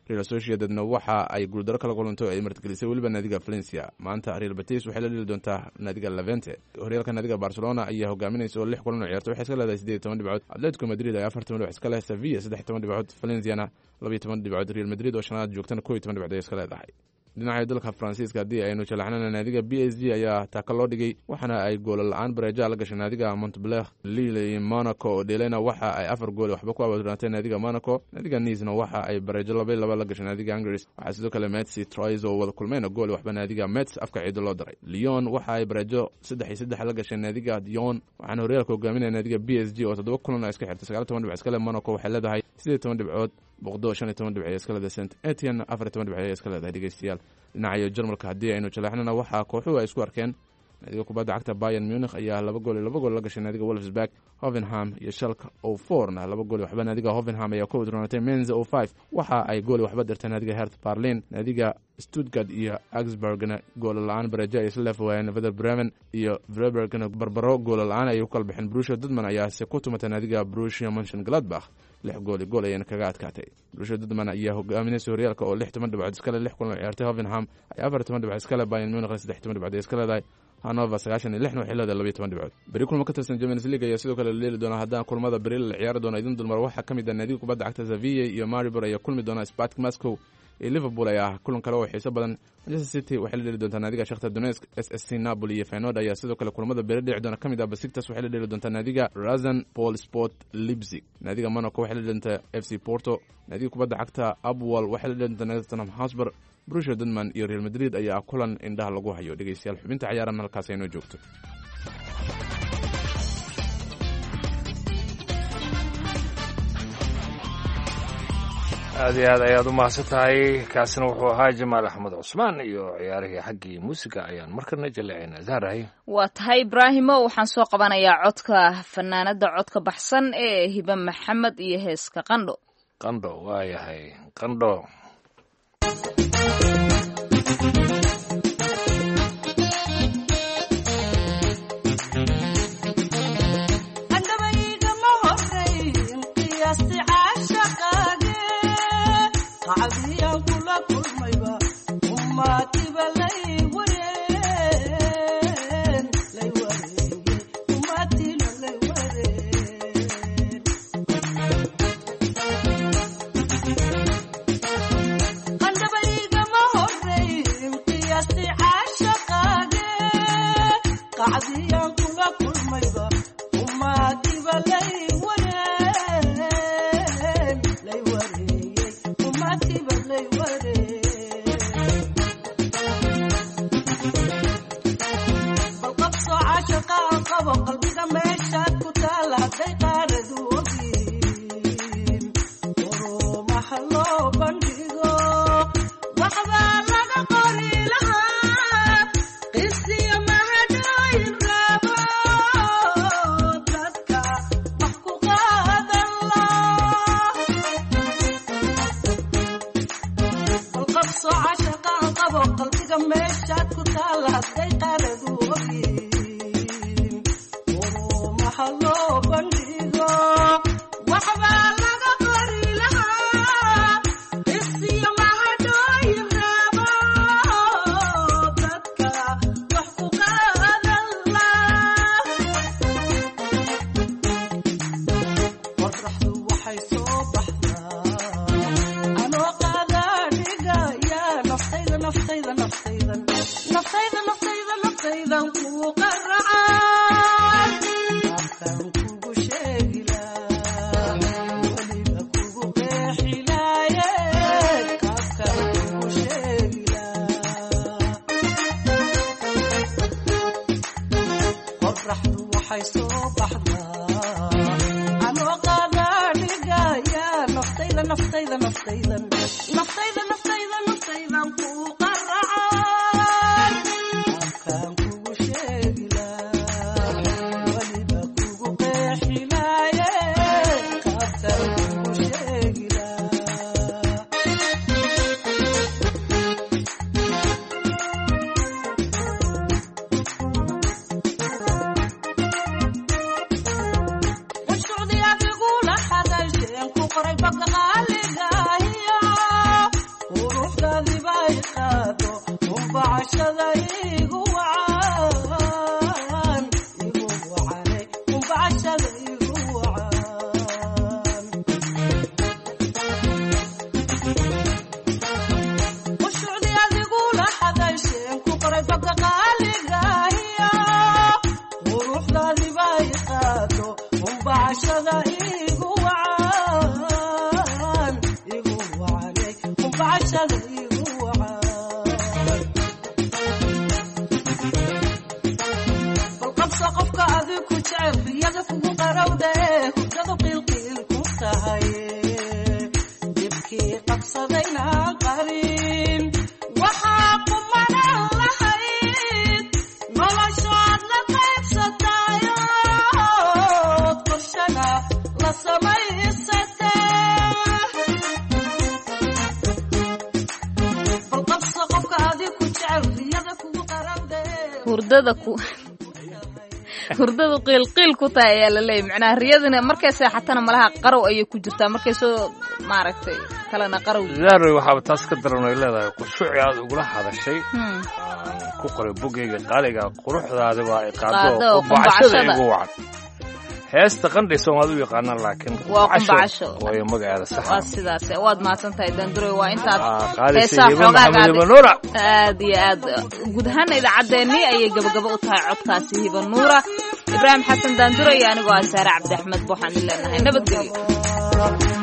Real Sociedadna waxa ay guuldaro kala kulantay oo ay martigelisay weliba naadiga Valencia. Maanta Real Betis waxay la dhili doontaa naadiga Levante. Horyaalka naadiga Barcelona ayaa hogaaminaysa oo lix kulan oo ciyaartay waxay iska leedahay 18 dhibcood. Atletico Madrid ayaa 40 dhibcood iska leh, Sevilla 13 dhibcood, Valenciana 12 dhibcood, Real Madrid oo shanaad joogtana 11 dhibcood ay iska leedahay. Dhinaca dalka Faransiiska haddii aynu jalaxnana, naadiga PSG ayaa taaka loo dhigay, waxaana ay goolo la-aan bareeja la gashay naadiga Montpellier. Lille iyo Monaco oo dheelayna waxa ay 4 gool waxba ku awoodnaatay naadiga Monaco. Naadiga Nice-na waxa ay bareejo 2-2 la gashay naadiga Angers. Waxaa sidoo kale Metz iyo Troyes oo wada kulmayna gool waxba naadiga Metz afka ciido loo daray. Lyon waxa ay bareejo 3-3 la gashay naadiga Dion, waxaana horyaalka hogaaminaya naadiga PSG oo toddoba kulan iska xirtay 19 dhibc iska leh. Monaco waxay leedahay 18 dhibcood, Bordeaux 15 dhibc ay iska leedahay, Saint Etienne 14 dhibc ay iska leedahay. Dhegeystayaal, dhinacayo Jarmalka haddii aynu jaleexnana, waxaa kooxuhu ay isku arkeen naadiga kubadda cagta Bayern Munich ayaa 2 gool iyo 2 gool la gashay naadiga Wolfsburg. Hoffenheim iyo Schalke 04 na 2 gool iyo waxba naadiga Hoffenheim ayaa ku udroonatay. Mainz 05 waxa ay gool iyo waxba dirtay naadiga Hertha Berlin. Naadiga Stuttgart iyo Augsburgna goolo la-aan bareejo ay isla leef waayeen. Werder Bremen iyo Freiburgna barbaro goolo la-aan ayay ku kala baxeen. Borussia Dortmund ayaase ku tumatay naadiga Borussia Mönchengladbach, 6 gool iyo gool ayayna kaga adkaatay. Borussia Dortmund ayaa hogaaminaysa horyaalka oo 16 dhibcood iskale lix kulan oo ciyaartay. Hoffenheim ayaa 14 dhibcood iskale, Bayern Munich 13 dhibcood ay iska leedahay, Hannover 96-na waxay leedahay 12 dhibcood. Beri kulmo ka tirsan Champions League ayaa sidoo kale la dheeli doonaa. Haddaan kulmada beri la ciyaari doono idin dulmar, waxaa ka mid ah naadiga kubadda cagta Sevilla iyo Maribor ayaa kulmi doona. Spartak Moscow iyo Liverpool ayaa kulan kale oo xiiso badan. Manchester City waxay la dheeli doontaa naadiga Shakhtar Donetsk. SSC Napoli iyo Feyenoord ayaa sidoo kale kulamada beri dhici doona ka mid ah. Besiktas waxay la dheeli doontaa naadiga RasenBallsport Leipzig. Naadiga Monaco waxay la dheeli doontaa FC Porto. Naadiga kubadda cagta APOEL waxay la dheeli doontaa naadiga Tottenham Hotspur. Borussia Dortmund iyo Real Madrid ayaa kulan indhaha lagu hayo. Dhegeystayaal, xubinta ciyaaran halkaas aynoo joogto. Aad iyo aad ayaad u mahadsan tahay. Kaasina wuxuu ahaa Jamaal Axmed Cusmaan iyo ciyaarihii xaggii muusiga ayaan markana jaleecaynaa. Zahrahay. Waa tahay Ibraahimo, waxaan soo qabanayaa codka fanaanada codka baxsan ee Hibe Maxamed iyo heeska Qandho. Qandho, waa yahay Qandho. Hurdadu qiilqiil ku tahay ayaa la leeyay, macnaha riyadina markay seexatana malaha qarow ayay ku jirtaa, markay soo maaragtay kalena qarow. Zahroy, waxaaba taas ka daran ay leedahay qushuuci aad ugula hadashay aan ku qoray bogeyga qaaliga, quruxdaada waa i qaado qumbacashada igu wacan. Heesta Qandhay Soomaali u yaqaanaan, laakiin waa qumbacasho waayo magaceeda sax. Waa sidaas. Waad mahadsan tahay Danduroy, waa intaad heesaa xoogaa aad iyo aad. Guud ahaana idaacaddeenii ayay gabagabo u tahay codkaasi Hiba Nuura. Ibraahim Xasan Daanduro iyo anigoo ah Saare Cabdi Axmed waxaan idin leenahay nabadgelyo.